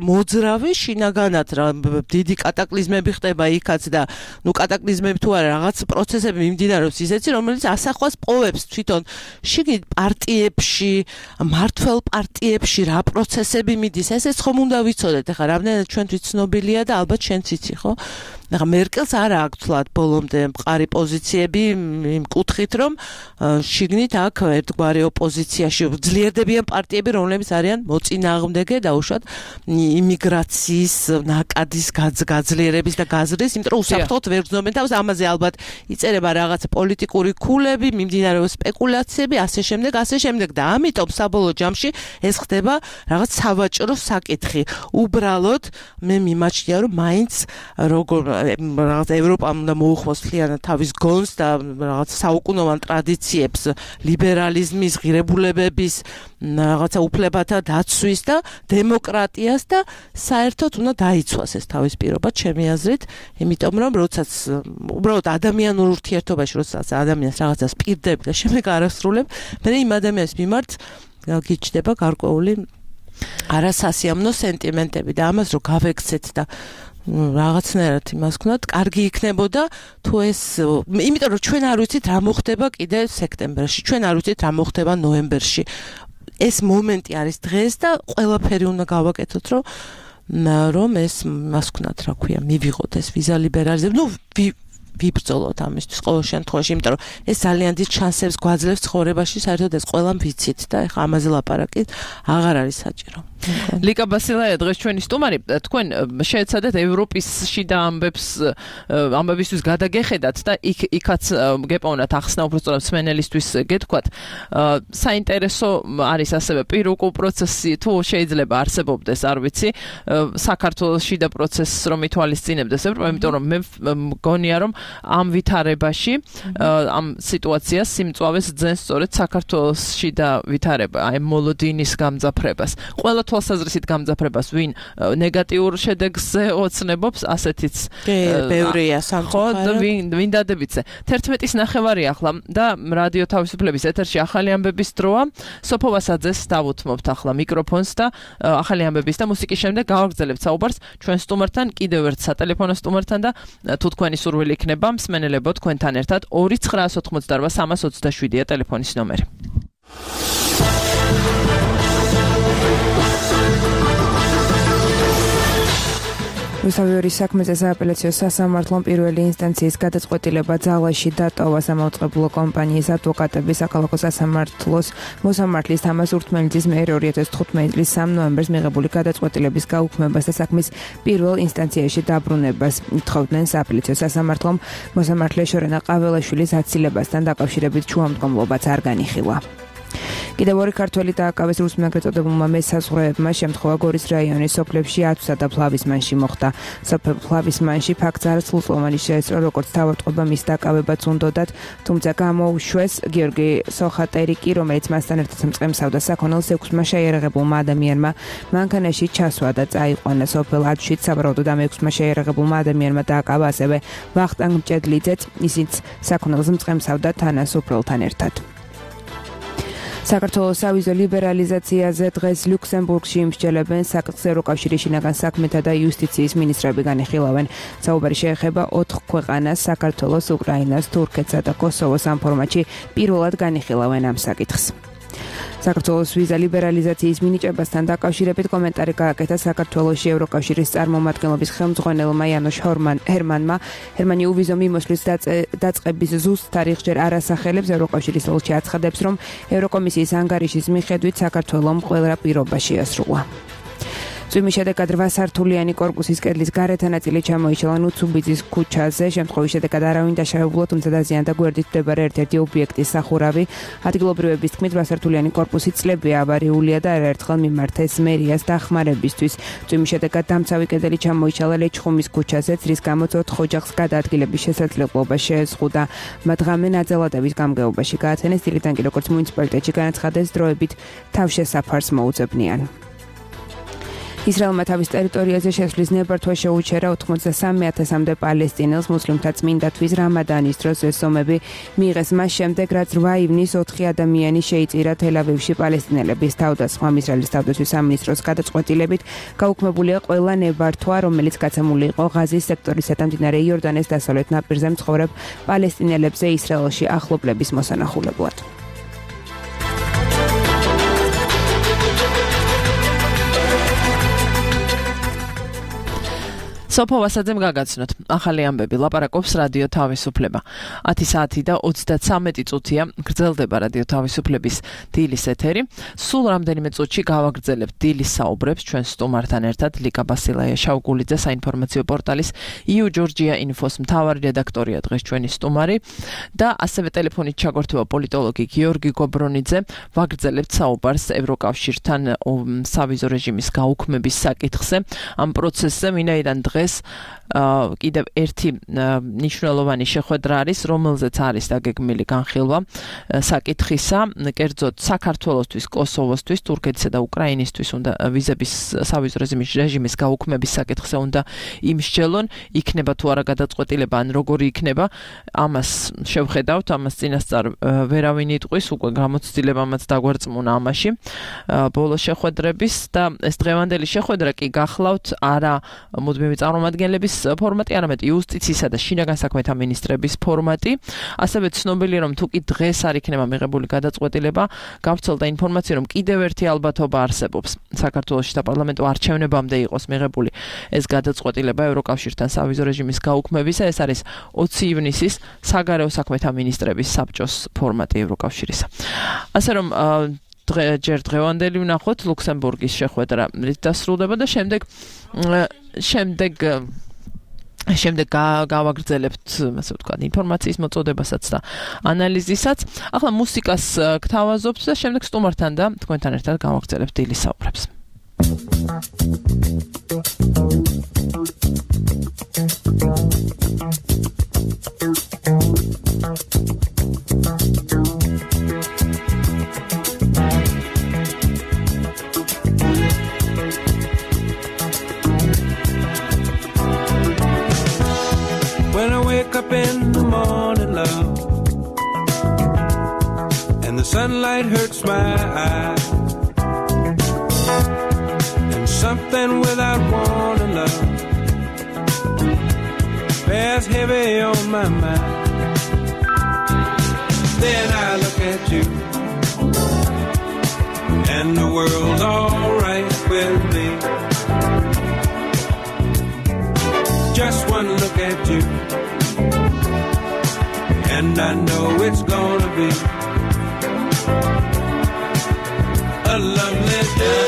მოძრავი შინაგანად რა დიდი კატაკლიზმები ხდება იქაც და ნუ კატაკლიზმები თუ არა რაღაც პროცესები მიმდინარეობს ისეთი რომელიც ასახვას პოვებს თვითონ შიგნით პარტიებში მართველ პარტიებში რა პროცესები მიდის ესეც ხომ უნდა ვიცოდეთ ახლა რამდენად ჩვენთვის ცნობილია და ალბათ შენც იცი ხო ახლა მერკელს არ აქვს თლად ბოლომდე მყარი პოზიციები იმ კუთხით რომ შიგნით აქ ერთგვარი ოპოზიციაში ძლიერდებიან პარტიები რომლებიც არიან მოწინააღმდეგე დაუშვათ იმიგრაციის ნაკადის გაძლიერების და გაზრდის იმიტომ რომ უსაფრთხოდ ვერ გრძნობენ თავს ამაზე ალბათ იწერება რაღაც პოლიტიკური ქულები მიმდინარეობს სპეკულაციები ასე შემდეგ და ამიტომ საბოლოო ჯამში ეს ხდება რაღაც სავაჭრო საკითხი უბრალოდ მე მიმაჩნია რომ მაინც როგორ რაღაც ევროპამ უნდა მოუხმოს მთლიანად თავის გონს და რაღაც საუკუნოვან ტრადიციებს ლიბერალიზმის ღირებულებების რაღაცა უფლებათა დაცვის და დემოკრატიას და საერთოდ უნდა დაიცვას ეს თავის პირობა ჩემი აზრით იმიტომ რომ როდესაც უბრალოდ ადამიანურ ურთიერთობაში როდესაც ადამიანს რაღაცას პირდები და შემდეგ არასრულებ მე იმ ადამიანის მიმართ გიჩნდება გარკვეული არასასიამოვნო სენტიმენტები და ამას რო გავექცეთ და რაღაცნაირად იმას ვქნათ, კარგი იქნებოდა თუ ეს, იმიტომ რომ ჩვენ არ ვიცით რა მოხდება კიდე სექტემბერში, ჩვენ არ ვიცით რა მოხდება ნოემბერში. ეს მომენტი არის დღეს და ყველაფერი უნდა გავაკეთოთ, რომ ეს იმას ვქნათ, რა ქვია, მივიღოთ ეს ვიზა ლიბერალიზება. ნუ ვიბრძოლოთ ამისთვის ყოველ შემთხვევაში, იმიტომ რომ ეს ძალიან დიდ შანსებს გვაძლევს ცხოვრებაში, საერთოდ ეს ყველამ ვიცით და ეხლა ამაზე ლაპარაკი აღარ არის საჭირო. ლიკა ბასილაია დღეს ჩვენი სტუმარი თქვენ შეეცადეთ ევროპის შიდა ამბებისთვის გადაგეხედათ და იქაც გეპოვნათ ახსნა უბრალოდ მსმენელისთვის გეთქვათ საინტერესო არის ასევე პირუკულ პროცესი თუ შეიძლება არსებობდეს არ ვიცი საქართველოს შიდა პროცესს რომ ითვალისწინებდეს ევროპა იმიტომ რომ მე მგონია რომ ამ ვითარებაში ამ სიტუაციას სიმწვავეს ძენს სწორედ საქართველოსში და ვითარება აი მოლოდინის გამძაფრებას. ყველა თვალსაზრისით გამძაფრებას ვინ ნეგატიურ შედეგზე ოცნებობს, ასეთიც ბევრია სამწუხაროდ. ვინ დადებითზე. 11-ის ნახევარი ახლა და რადიო თავისუფლების ეთერში ახალი ამბების დროა. სოფო ვასაძეს დავუთმობთ ახლა მიკროფონს და ახალი ამბების და მუსიკის შემდეგ გავაგრძელებთ საუბარს ჩვენ სტუმართან, კიდევ ერთ სატელეფონო სტუმართან და თუ თქვენი სურვილი იქნება, მსმენელებო თქვენთან ერთად 2988327-ია ტელეფონის ნომერი. რუსთავის საქმეზე სააპელაციო სასამართლომ პირველი ინსტანციის გადაწყვეტილება ძალაში დატოვა სამაუწყებლო კომპანიის ადვოკატების საქალაქო სასამართლოს მოსამართლის თამაზ ურთმელიძის მიერ 2015 წლის 3 ნოემბერს მიღებული გადაწყვეტილების გაუქმებას და საქმის პირველ ინსტანციაში დაბრუნებას ითხოვდნენ სააპელაციო სასამართლომ მოსამართლე შორენა ყაველაშვილის აცილებასთან დაკავშირებით შუამდგომლობაც არ განიხილა. კიდევ ორი ქართველი დააკავეს რუსმეაგრე წოდებულმა მესაზღვრეებმა შემთხვევა გორის რაიონის სოფლებში ათვსა და ფლავისმანში მოხდა. სოფელ ფლავისმანში ფაქტს არ სრულწლოვანი შეესწრო, როგორც თავარტყობა მის დაკავებაც უნდოდათ, თუმცა გამოუშვეს გიორგი სოხატერიკი, რომელიც მასთან ერთად მწყემსავდა საქონელს 6-მა შეიარაღებულმა ადამიანმა მანქანაში ჩასვა და წაიყვანა. სოფელ ათვშიც სავარაუდოდ ამ 6-მა შეიარაღებულმა ადამიანმა დააკავა ასევე ვახტანგ მჭედლიძეც, ისიც საქონელს მწყემსავდა თანასოფრელთან ერთად. საქართველოს სავიზო ლიბერალიზაციაზე დღეს ლუქსემბურგში იმსჯელებენ საკითხს ევროკავშირის შინაგან საქმეთა და იუსტიციის მინისტრები განიხილავენ. საუბარი შეეხება 4 ქვეყანას, საქართველოს, უკრაინას, თურქეთსა და კოსოვოს ამ ფორმატში პირველად განიხილავენ ამ საკითხს. საქართველოს ვიზა ლიბერალიზაციის მინიჭებასთან დაკავშირებით კომენტარი გააკეთა საქართველოში ევროკავშირის წარმომადგენლობის ხელმძღვანელმა იანოშ ჰერმანმა. ჰერმანი უვიზო მიმოსვლის დაწყების ზუსტ თარიღს ჯერ არ ასახელებს. ევროკავშირის ელჩი აცხადებს, რომ ევროკომისიის ანგარიშის მიხედვით საქართველომ ყველა პირობა შეასრულა. წვიმის შედეგად 8 სართულიანი კორპუსის კედლის გარეთა ნაწილი ჩამოიშალა ნუცუბიძის ქუჩაზე. შემთხვევის შედეგად არავინ დაშავებულა, თუმცა დაზიანდა გვერდით მდებარე ერთ-ერთი ობიექტის სახურავი. ადგილობრივების თქმით, 8 სართულიანი კორპუსი წლებია ავარიულია და არაერთხელ მიმართეს მერიას დახმარებისთვის. წვიმის შედეგად დამცავი კედელი ჩამოიშალა ლეჩხუმის ქუჩაზეც, რის გამოც 4 ოჯახს გადაადგილების შესაძლებლობა შეეზღუდა. მათ ღამე ნაძალადების გამგეობაში გაათენეს. დილიდან კი როგორც მუნიციპალიტეტში განაცხადეს, დროებით თავშესაფარს მოუძებნიან. ისრაელმა თავის ტერიტორიაზე შესვლის ნებართვა შეუჩერა 83,000-მდე პალესტინელს მუსლიმთა წმინდათვის რამადანის დროს ეს ომები მიიღეს მას შემდეგ, რაც 8 ივნის 4 ადამიანი შეიწირა თელ-ავივში პალესტინელების თავდასხმამ. ისრაელის თავდაცვის სამინისტროს გადაწყვეტილებით გაუქმებულია ყველა ნებართვა, რომელიც გაცემული იყო ღაზის სექტორისა და მდინარე იორდანეს დასავლეთ ნაპირზე მცხოვრებ პალესტინელებზე ისრაელში ახლობლების მოსანახულებლად. სოფო ვასაძემ გაგაცნოთ. ახალი ამბები ლაპარაკობს რადიო თავისუფლება. 10 საათი და 33 წუთია გრძელდება რადიო თავისუფლების დილის ეთერი. სულ რამდენიმე წუთში გავაგრძელებთ დილის საუბრებს ჩვენ სტუმართან ერთად. ლიკა ბასილაია შავგულიძე, საინფორმაციო პორტალის EU Georgia Info-s მთავარი რედაქტორია დღეს ჩვენი სტუმარი და ასევე ტელეფონით ჩაგვერთვება პოლიტოლოგი გიორგი გობრონიძე. ვაგრძელებთ საუბარს ევროკავშირთან სავიზო რეჟიმის გაუქმების საკითხზე. ამ პროცესზე ვინაიდან დღეს კიდევ ერთი მნიშვნელოვანი შეხვედრა არის, რომელზეც არის დაგეგმილი განხილვა საკითხისა, კერძოდ საქართველოსთვის, კოსოვოსთვის, თურქეთისა და უკრაინისთვის უნდა ვიზების სავიზო რეჟიმის გაუქმების საკითხზე უნდა იმსჯელონ, იქნება თუ არა გადაწყვეტილება, ან როგორი იქნება, ამას შევხედავთ, ამას წინასწარ ვერავინ იტყვის, უკვე გამოცდილებამაც დაგვარწმუნა ამაში ბოლო შეხვედრების და ეს დღევანდელი შეხვედრა კი გახლავთ არა მუდმივი წარმომადგენლების ფორმატი, არამედ იუსტიციისა და შინაგან საქმეთა მინისტრების ფორმატი. ასევე ცნობილია, რომ თუ კი დღეს არ იქნება მიღებული გადაწყვეტილება, გავრცელდა ინფორმაცია, რომ კიდევ ერთი ალბათობა არსებობს. საქართველოში და პარლამენტო არჩევნებამდე იყოს მიღებული ეს გადაწყვეტილება ევროკავშირთან სავიზო რეჟიმის გაუქმებისა. ეს არის 20 ივნისის საგარეო საქმეთა მინისტრების საბჭოს ფორმატი ევროკავშირისა. ასე რომ ჯერ დღევანდელი ვნახოთ ლუქსემბურგის შეხვედრა დასრულდება და შემდეგ გავაგრძელებთ, ასე ვთქვათ, ინფორმაციის მოწოდებასაც და ანალიზისაც. ახლა მუსიკას გთავაზობთ და შემდეგ სტუმართან და თქვენთან ერთად გავაგრძელებთ დილის საუბრებს. up in the morning, love, and the sunlight hurts my eyes, and something without warning, love, bears heavy on my mind. Then I look at you, and the world's alright with me. Just one look at you, and I know it's gonna be a lovely day.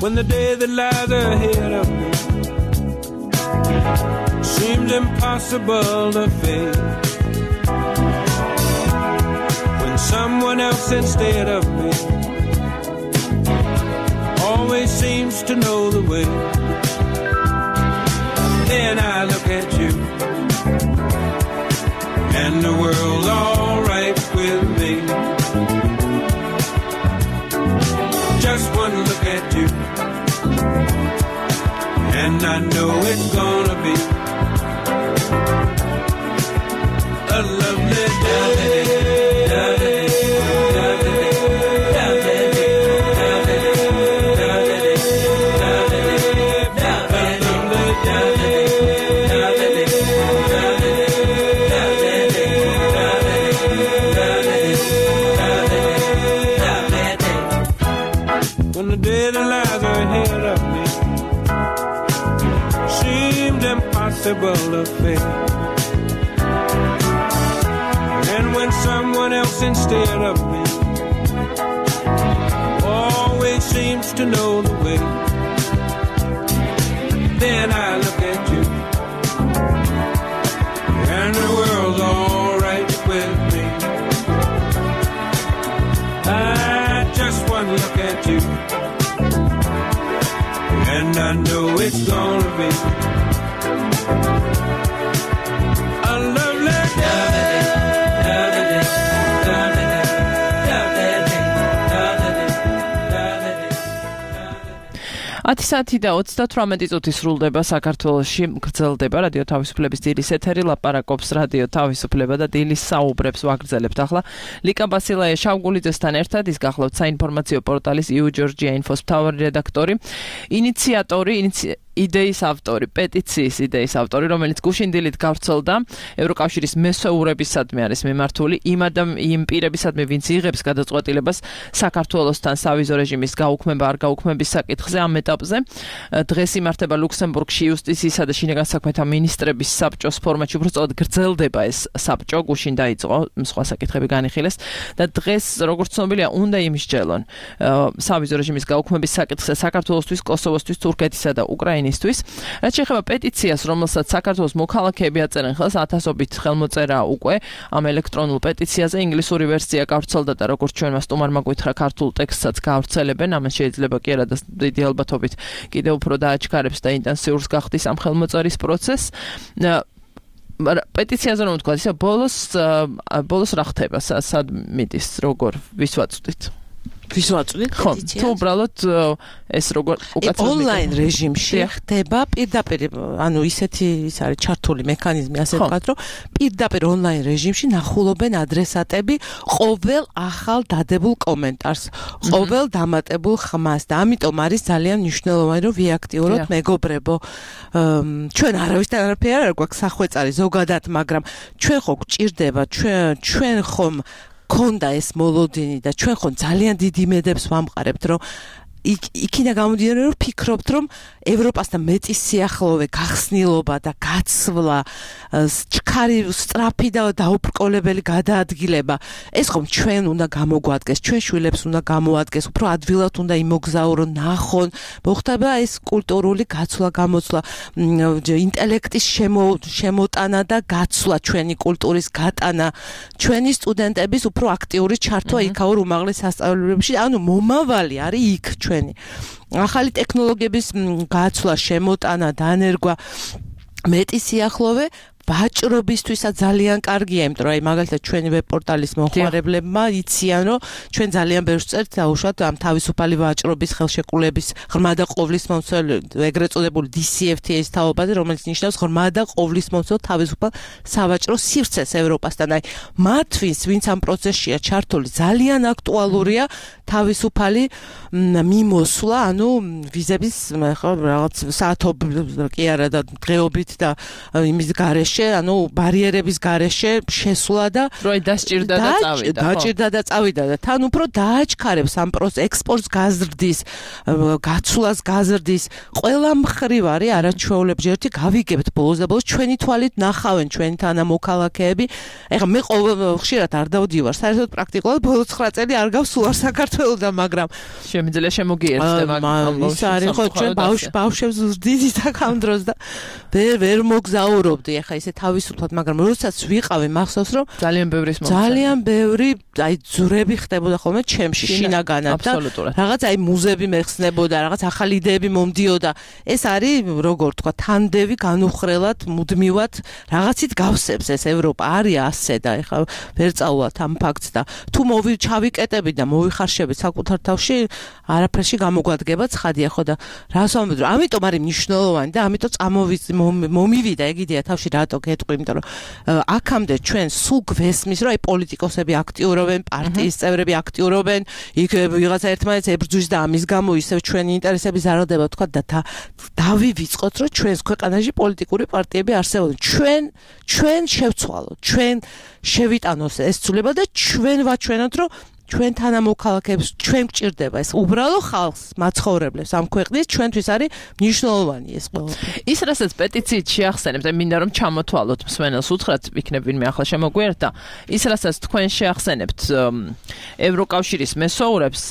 When the day that lies ahead of me seems impossible to face, when someone else instead of me always seems to know the way, then I look at you, and the world's alright with me. Just one look at you, and I know it's gonna be a lovely day. When the day that lies ahead of me seemed impossible to face, and when someone else instead of me always seems to know the way, then I look at you, and the world's alright with me. I just one look at you, and I know it's gonna be a lovely day. ათი საათი და 38 წუთი სრულდება საქართველოში, გრძელდება რადიო თავისუფლების დილის ეთერი, ლაპარაკობს რადიო თავისუფლება და დილის საუბრებს ვაგრძელებთ ახლა. ლიკა ბასილაია შავგულიძესთან ერთად, ის გახლავთ საინფორმაციო პორტალის EU Georgia Info-ს მთავარი რედაქტორი, ინიციატორი, იდეის ავტორი, პეტიციის იდეის ავტორი, რომელიც გუშინ დილით გავრცელდა ევროკავშირის მესვეურებისადმი არის მიმართული იმ პირებისადმი, ვინც იღებს გადაწყვეტილებას საქართველოსთან სავიზო რეჟიმის გაუქმება არ გაუქმების საკითხზე. ამ ეტაპზე დღეს იმართება ლუქსემბურგში იუსტიციისა და შინაგან საქმეთა მინისტრების საბჭოს ფორმატში, უბრალოდ გრძელდება ეს საბჭო, გუშინ დაიწყო, სხვა საკითხები განიხილეს და დღეს, როგორც ცნობილია, უნდა იმსჯელონ სავიზო რეჟიმის გაუქმების საკითხზე საქართველოსთვის, კოსოვოსთვის, თურქეთისა და უკრაინისთვის. რაც შეეხება პეტიციას, რომელსაც საქართველოს მოქალაქეები აწერენ ხელს, ათასობით ხელმოწერა უკვე ამ ელექტრონულ პეტიციაზე, ინგლისური ვერსია გავრცელდა და როგორც ჩვენმა სტუმარმა გითხრა, ქართულ ტექსტსაც გავრცელებენ, ამას შეიძლება კი არა და დიდი ალბათობით კიდევ უფრო დააჩქარებს და ინტენსიურს გახდის ამ ხელმოწერის პროცესს. პეტიციაზე რომ ვთქვა, ისე ბოლოს რა ხდება, სად მიდის, როგორ ვისვაწვდით? ვისვაწვდით პეტიციას? თუ უბრალოდ ეს როგორ უკაცრავად ონლაინ რეჟიმში ხდება პირდაპირ, ანუ ისეთი ის არის ჩართული მექანიზმი, ასე ვთქვათ, რომ პირდაპირ ონლაინ რეჟიმში ნახულობენ ადრესატები ყოველ ახალ დადებულ კომენტარს, ყოველ დამატებულ ხმას და ამიტომ არის ძალიან მნიშვნელოვანი, რომ ვიაქტიუროთ მეგობრებო. ჩვენ არავისთან არაფერი არ გვაქვს სახვეწარი ზოგადად, მაგრამ ჩვენ ხო გვჭირდება, ჩვენ ხომ ქონდა ეს მოლოდინი და ჩვენ ხომ ძალიან დიდ იმედებს ვამყარებთ, რომ იქიდან გამომდინარე, რომ ფიქრობთ, რომ ევროპასთან მეტი სიახლოვე, გახსნილობა და გაცვლა, ჩქარი სწრაფი და დაუბრკოლებელი გადაადგილება, ეს ხომ ჩვენ უნდა გამოგვადგეს, ჩვენ შვილებს უნდა გამოადგეს, უფრო ადვილად უნდა იმოგზაურონ, ნახონ, მოხდება ეს კულტურული გაცვლა, გამოცვლა, ინტელექტის შემოტანა და გაცვლა, ჩვენი კულტურის გატანა, ჩვენი სტუდენტების უფრო აქტიური ჩართვა იქაურ უმაღლეს სასწავლებლებში, ანუ მომავალი არის იქ ჩვენი. ახალი ტექნოლოგიების გაცვლა, შემოტანა, დანერგვა, მეტი სიახლოვე ვაჭრობისთვისაც ძალიან კარგია, იმიტომ რომ აი მაგალითად ჩვენი ვებ პორტალის მომხმარებლებმა იციან, რომ ჩვენ ძალიან ბევრს წერთ დაუშვათ ამ თავისუფალი ვაჭრობის ხელშეკრულების ღრმა და ყოვლისმომცველ ეგრეთ წოდებული DCFTA-ის თაობაზე, რომელიც ნიშნავს ღრმა და ყოვლისმომცველ თავისუფალ სავაჭრო სივრცეს ევროპასთან. აი მათთვის, ვინც ამ პროცესშია ჩართული, ძალიან აქტუალურია თავისუფალი მიმოსვლა, ანუ ვიზების ხო რაღაც საათობით კი არა და დღეობით და იმის გარეშე ანუ ბარიერების გარეშე შესვლა და როი დასჭირდა და წავიდა. დაჭირდა და წავიდა და თან უფრო დააჩქარებს ამ ექსპორტს გაზრდის, გაცვლას გაზრდის, ყველა მხრივ არის არაჩვეულებრივი გავიგებთ ბოლოს და ბოლოს ჩვენი თვალით ნახავენ ჩვენი თანამოქალაქეები. ეხლა მე ხშირად არ დავდივარ, საერთოდ პრაქტიკულად ბოლო 9 წელი არ გავსულარ საქართველოსთან, მაგრამ შემიძლია შემოგიერთდება ის არის ხო ჩვენ ბავშვებს ვზრდით აქ ამ დროს და ვერ მოგზაურობდი ეხლა ისე თავისუფლად, მაგრამ როდესაც ვიყავი მახსოვს რომ ძალიან ბევრი აი ძურები ხდებოდა ხოლმე ჩემში შინაგანად და რაღაც აი მუზები მეხსნებოდა, რაღაც ახალი იდეები მომდიოდა. ეს არის როგორ თქვა თანდევი განუხრელად მუდმივად რაღაცით გავსებს ეს ევროპა არის ასე და ეხლა ვერ წავალთ ამ ფაქტს და თუ ჩავიკეტები და მოვიხარშებით საკუთარ თავში არაფერში გამოგვადგება ცხადია ხო და რას ვამბობ რომ ამიტომ არის მნიშვნელოვანი და ამიტომ მომივიდა ეგ იდეა თავში რატო გეტყვი, იმიტომ რომ აქამდე ჩვენ სულ გვესმის რომ აი პოლიტიკოსები აქტიურობენ, პარტიის წევრები აქტიურობენ, იქ ვიღაცა ერთმანეთს ებრძვის და ამის გამო ისევ ჩვენი ინტერესები ზარალდება თქვა და დავივიწყოთ რომ ჩვენს ქვეყანაში პოლიტიკური პარტიები არსებობენ. ჩვენ შევცვალოთ, ჩვენ შევიტანოთ ეს ცვლილება და ჩვენ ვაჩვენოთ რომ ჩვენ თანამოქალაქეებს ჩვენ გჭირდება ეს უბრალო ხალხს მაცხოვრებლებს ამ ქვეყნის ჩვენთვის არის მნიშვნელოვანი ეს ყველაფერი. ის რასაც პეტიციით შეახსენებთ, აი მინდა რომ ჩამოთვალოთ მსმენელს უთხრათ, იქნებ ვინმე ახლა შემოგვიერთდა. ის რასაც თქვენ შეახსენებთ ევროკავშირის მესოურებს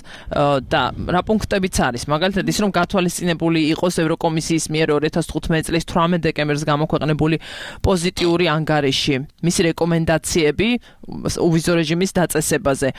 და რა პუნქტებიც არის, მაგალითად ის რომ გათვალისწინებული იყოს ევროკომისიის მიერ 2015 წლის 18 დეკემბერს გამოქვეყნებული პოზიტიური ანგარიში, მისი რეკომენდაციები უვიზო რეჟიმის დაწესებაზე.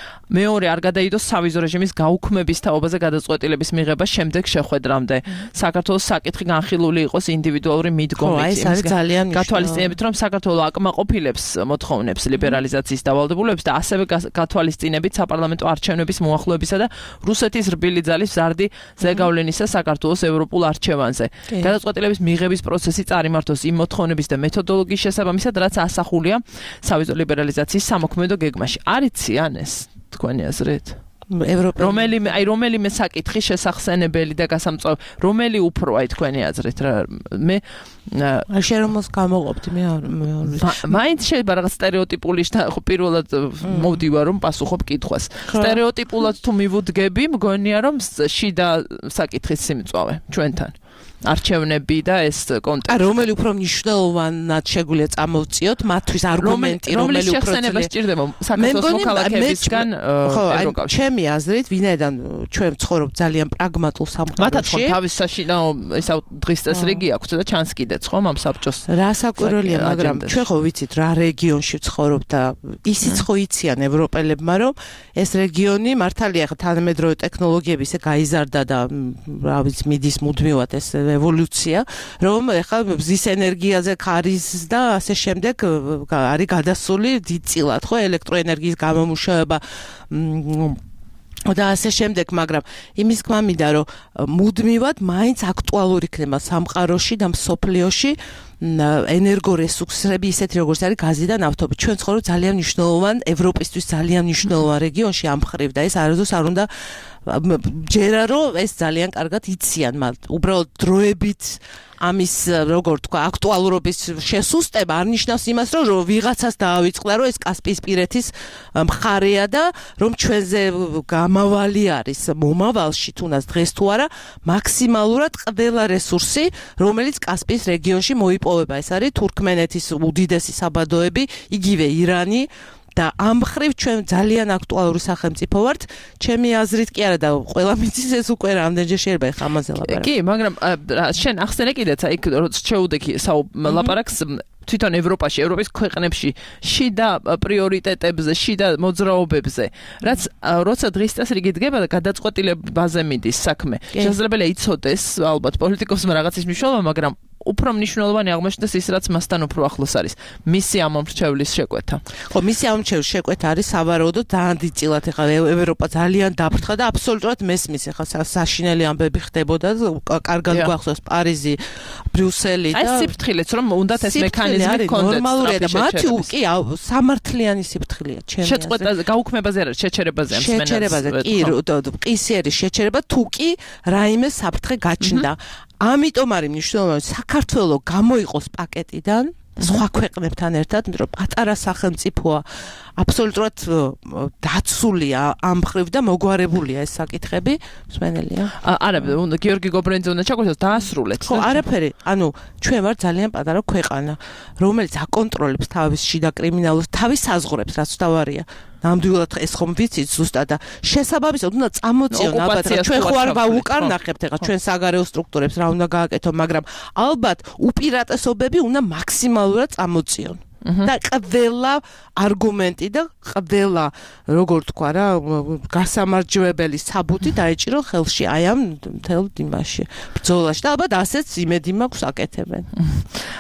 მეორე არ გადაიდოს სავიზო რეჟიმის გაუქმების თაობაზე გადაწყვეტილების მიღება შემდეგ შეხვედრამდე. საქართველოს საკითხი განხილული იყოს ინდივიდუალური მიდგომით. ეს არის ძალიან გათვალისწინებით, რომ საქართველო აკმაყოფილებს მოთხოვნებს ლიბერალიზაციის დავალდებულებს და ასევე გათვალისწინებით საპარლამენტო არჩევნების მოახლოებისა და რუსეთის რბილი ძალის მზარდი ზეგავლენისა საქართველოს ევროპულ არჩევანზე. გადაწყვეტილების მიღების პროცესი წარიმართოს იმ მოთხოვნების და მეთოდოლოგიის შესაბამისად, რაც ასახულია სავიზო ლიბერალიზაციის სამოქმედო გეგმაში. არიციან ეს თქვენი აზრით? რომელიმე საკითხი შესახსენებელი და გასამწვავი, რომელი უფრო აი თქვენი აზრით რა მე შერომოს გამოყოფდი მე მაინც შეიძლება რაღაც სტერეოტიპული ხო პირველად მოვდივარ რომ პასუხობ კითხვას. სტერეოტიპულად თუ მივუდგები, მგონია რომ შიდა საკითხის სიმწვავე ჩვენთან. არჩევნები და ეს კონტექსტი. რომელი უფრო მნიშვნელოვნად შეგვიძლია წამოვწიოთ მათთვის არგუმენტი, რომელი უფრო შეხსენება სჭირდება საქართველოს მოქალაქეებისგან ევროკავშირში. ჩემი აზრით, ვინაიდან ჩვენ ვცხოვრობთ ძალიან პრაგმატულ სამყაროში. მათაც ხო თავის საშინაო ესა დღის წესრიგი აქვს და ჩანს კიდეც ხო ამ საბჭოს. რა საკვირველია, მაგრამ ჩვენ ხო ვიცით რა რეგიონში ვცხოვრობ და ისიც ხო იციან ევროპელებმა, რომ ეს რეგიონი მართალია ხა თანამედროვე ტექნოლოგიები ისე გაიზარდა და რა ვიცი მიდის მუდმივად ეს ევოლუცია, რომ ეხლა მზის ენერგიაზე ქარის და ასე შემდეგ არის გადასული დიდწილად, ხო, ელექტროენერგიის გამომუშავება და ასე შემდეგ, მაგრამ იმის გვამინდა, რომ მუდმივად მაინც აქტუალური იქნება სამყაროში და მსოფლიოში ენერგორესურსები ისეთი როგორც არის გაზი და ნავთობი. ჩვენ ცხოვრობთ ძალიან მნიშვნელოვან ევროპისთვის ძალიან მნიშვნელოვან რეგიონში ამ მხრივ და ეს არასდროს არ უნდა ჯერა რომ ეს ძალიან კარგად იციან, უბრალოდ დროებით ამის როგორ თქვა აქტუალურობის შესუსტება არ ნიშნავს იმას რომ ვიღაცას დაავიწყდა რომ ეს კასპიისპირეთის მხარეა და რომ ჩვენზე გამავალი არის მომავალში თუნდაც დღეს თუ არა მაქსიმალურად ყველა რესურსი რომელიც კასპიის რეგიონში მოიპოვება. ეს არის თურქმენეთის უდიდესი საბადოები, იგივე ირანი და ამ მხრივ ჩვენ ძალიან აქტუალური სახელმწიფო ვართ. ჩემი აზრით კი არა და ყველა მიცის ეს უკვე რამდენჯერ შეიძლება ამაზე ლაპარაკი. კი, მაგრამ შენ ახსენე კიდეც იქ როცა შეუდექი ლაპარაკს თვითონ ევროპაში, ევროპის ქვეყნებში შიდა პრიორიტეტებზე, შიდა მოძრაობებზე, რაც როცა დღის წესრიგი დგება და გადაწყვეტილებაზე მიდის საქმე. შესაძლებელია იცოდეს ალბათ პოლიტიკოსმა რაღაცის მნიშვნელობა, მაგრამ უფრო მნიშვნელოვანი აღმოჩნდეს ის, რაც მასთან უფრო ახლოს არის. მისი ამომრჩევლის შეკვეთა. ხო, მისი ამომრჩევლის შეკვეთა არის სავარაუდოდ დაანდიწილად ეხლა ევროპა ძალიან დაფრთხა და აბსოლუტურად მესმის ეხლა საშინელი ამბები ხდებოდა, კარგად გვახსოვს პარიზი, ბრიუსელი და ეს სიფრთხილეც რომ უნდათ ეს მექანიზმი კონდექს. ნორმალურია და მათი კი სამართლიანი სიფრთხილეა, ჩემი აზრით. შეწყვეტაზე, გაუქმებაზე არის, შეჩერებაზე ამ სმენელს. შეჩერებაზე კი, ყისიერი შეჩერება თუ კი რაიმე საფრთხე გაჩნდა. ამიტომ არის მნიშვნელოვანი საქართველოს გამოიყოს პაკეტიდან სხვა ქვეყნებთან ერთად, იმიტომ რომ პატარა სახელმწიფოა აბსოლუტურად დაცულია ამ მხრივ და მოგვარებულია ეს საკითხები, მსმენელია. არა, გიორგი გობრენიძე უნდა ჩაგვეცადოს დაასრულეთ. ხო, არაფერი, ანუ ჩვენ ვარ ძალიან პატარა ქვეყანა, რომელიც აკონტროლებს თავის შიდა კრიმინალებს, თავის საზღვრებს, რაც თავარია. ნამდვილად ეს ხომ ვიცით ზუსტად და შესაბამისად უნდა წამოწიონ ალბათ ჩვენ ხო არ ვაუკარნახებთ ეხლა ჩვენ საგარეო სტრუქტურებს რა უნდა გააკეთონ, მაგრამ ალბათ უპირატესობები უნდა მაქსიმალურად წამოწიონ. და ყველა არგუმენტი და ყველა როგორ თქვა რა გასამარჯვებელი საბუთი დაეჭირო ხელში აი ამ მთელ იმაში ბრძოლაში და ალბათ ასეც იმედი მაქვს აკეთებენ.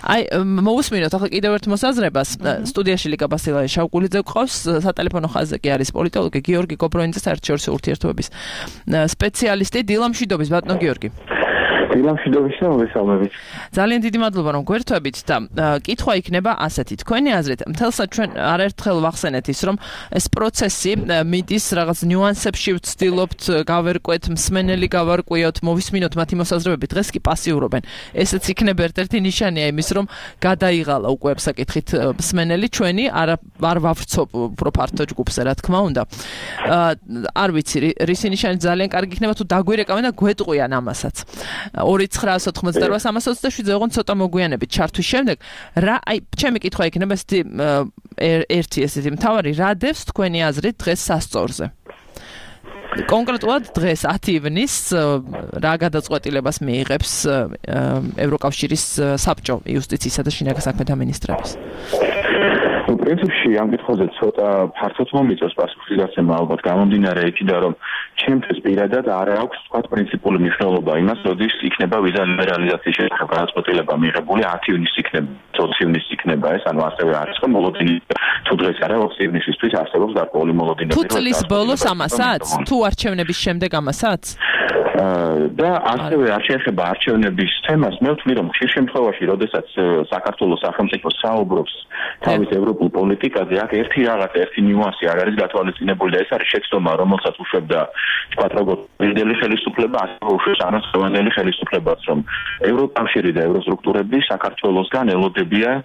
აი მოусმინოთ ახლა კიდევ ერთ მოსაზრებას სტუდიაში ლიკა ბასილაი შავკულიძე გყავს სატელეფონო ხაზზე კი არის პოლიტოლოგი გიორგი გობრენიძე საერთაშორისო ურთიერთობების სპეციალისტი დილამშვიდობის ბატონო გიორგი. დილამშვიდობის და მოგესალმებით. ძალიან დიდი მადლობა რომ გვერთვებით და კითხვა იქნება ასეთი თქვენი აზრით მთელსა ჩვენ არაერთხელ ვახსენეთ ის რომ ეს პროცესი მიდის რაღაც ნიუანსებში ვცდილობთ გავერკვეთ მსმენელი გავარკვიოთ მოვისმინოთ მათი მოსაზრებები დღეს კი პასიურობენ ესეც იქნება ერთ-ერთი ნიშანია იმის რომ გადაიღალა უკვე ამ საკითხით მსმენელი ჩვენი არ ვავრცობ უფრო ფართო ჯგუფზე რა თქმა უნდა არ ვიცი რისი ნიშანი ძალიან კარგი იქნება თუ დაგვირეკავენ და გვეტყვიან ამასაც 2988327 ოღონდ ცოტა მოგვიანებით ჩართვის შემდეგ რა აი ჩემი კითხვა იქნება ერთი ესეთი მთავარი რა დევს თქვენი აზრით დღეს სასწორზე კონკრეტულად დღეს 10 ივნის რა გადაწყვეტილებას მიიღებს ევროკავშირის საბჭო იუსტიციისა და შინაგან საქმეთა მინისტრების პრინციპში ამ კითხვაზე ცოტა ფართოდ მომიწევს პასუხის გაცემა ალბათ გამომდინარე იქიდან რომ ჩემთვის პირადად არ აქვს თქვა პრინციპული მნიშვნელობა იმას როდის იქნება ვიზა ლიბერალიზაციის შესახებ გადაწყვეტილება მიღებული 10 ივნის იქნება 20 ივნის იქნება ეს ანუ ასევე არის რომ მოლოდინი თუ დღეს არა 20 ივნისისთვის არსებობს გარკვეული მოლოდინები თუ წლის ბოლოს ამასაც თუ არჩევნების შემდეგ ამასაც და ასევე არ შეეხება არჩევნების თემას მე ვთვლი რომ ხშირ შემთხვევაში როდესაც საქართველოს სახელმწიფო საუბრობს თავის ევროპულ პოლიტიკაზე აქ ერთი ნიუანსი არ არის გათვალისწინებული და ეს არის შეცდომა რომელსაც უშვებდა თქვათ როგორც პირდელი ხელისუფლება ასევე უშვებს არასწორად ხელისუფლებას რომ ევროკავშირი და ევროსტრუქტურები საქართველოსგან ელოდებიან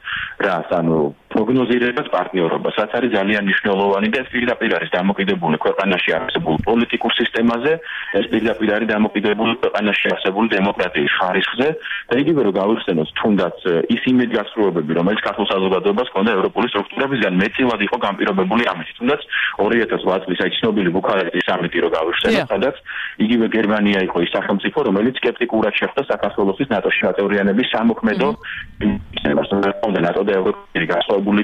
რას ანუ პროგნოზირებას პარტნიორობას რაც არის ძალიან მნიშვნელოვანი და ეს პირდაპირ არის დამოკიდებული ქვეყანაში არსებულ პოლიტიკურ სისტემაზე ეს პირდაპირ არის დამოკიდებული ქვეყანაში არსებული დემოკრატიის ხარისხზე და იგივე რომ გავიხსენოთ თუნდაც ის იმედგაცრუებები რომელიც ქართულ საზოგადოებას ჰქონდა ევროპული სტრუქტურებისგან მეტწილად იყო განპირობებული ამით თუნდაც 2008 წლის აი ცნობილი ბუქარესტის სამიტი რო გავიხსენოთ სადაც იგივე გერმანია იყო ის სახელმწიფო რომელიც სკეპტიკურად შეხვდა საქართველოს ნატოში გაწევრიანების სამოქმედო ინსტიტუტს ნატო და ევროპული გასწავლებული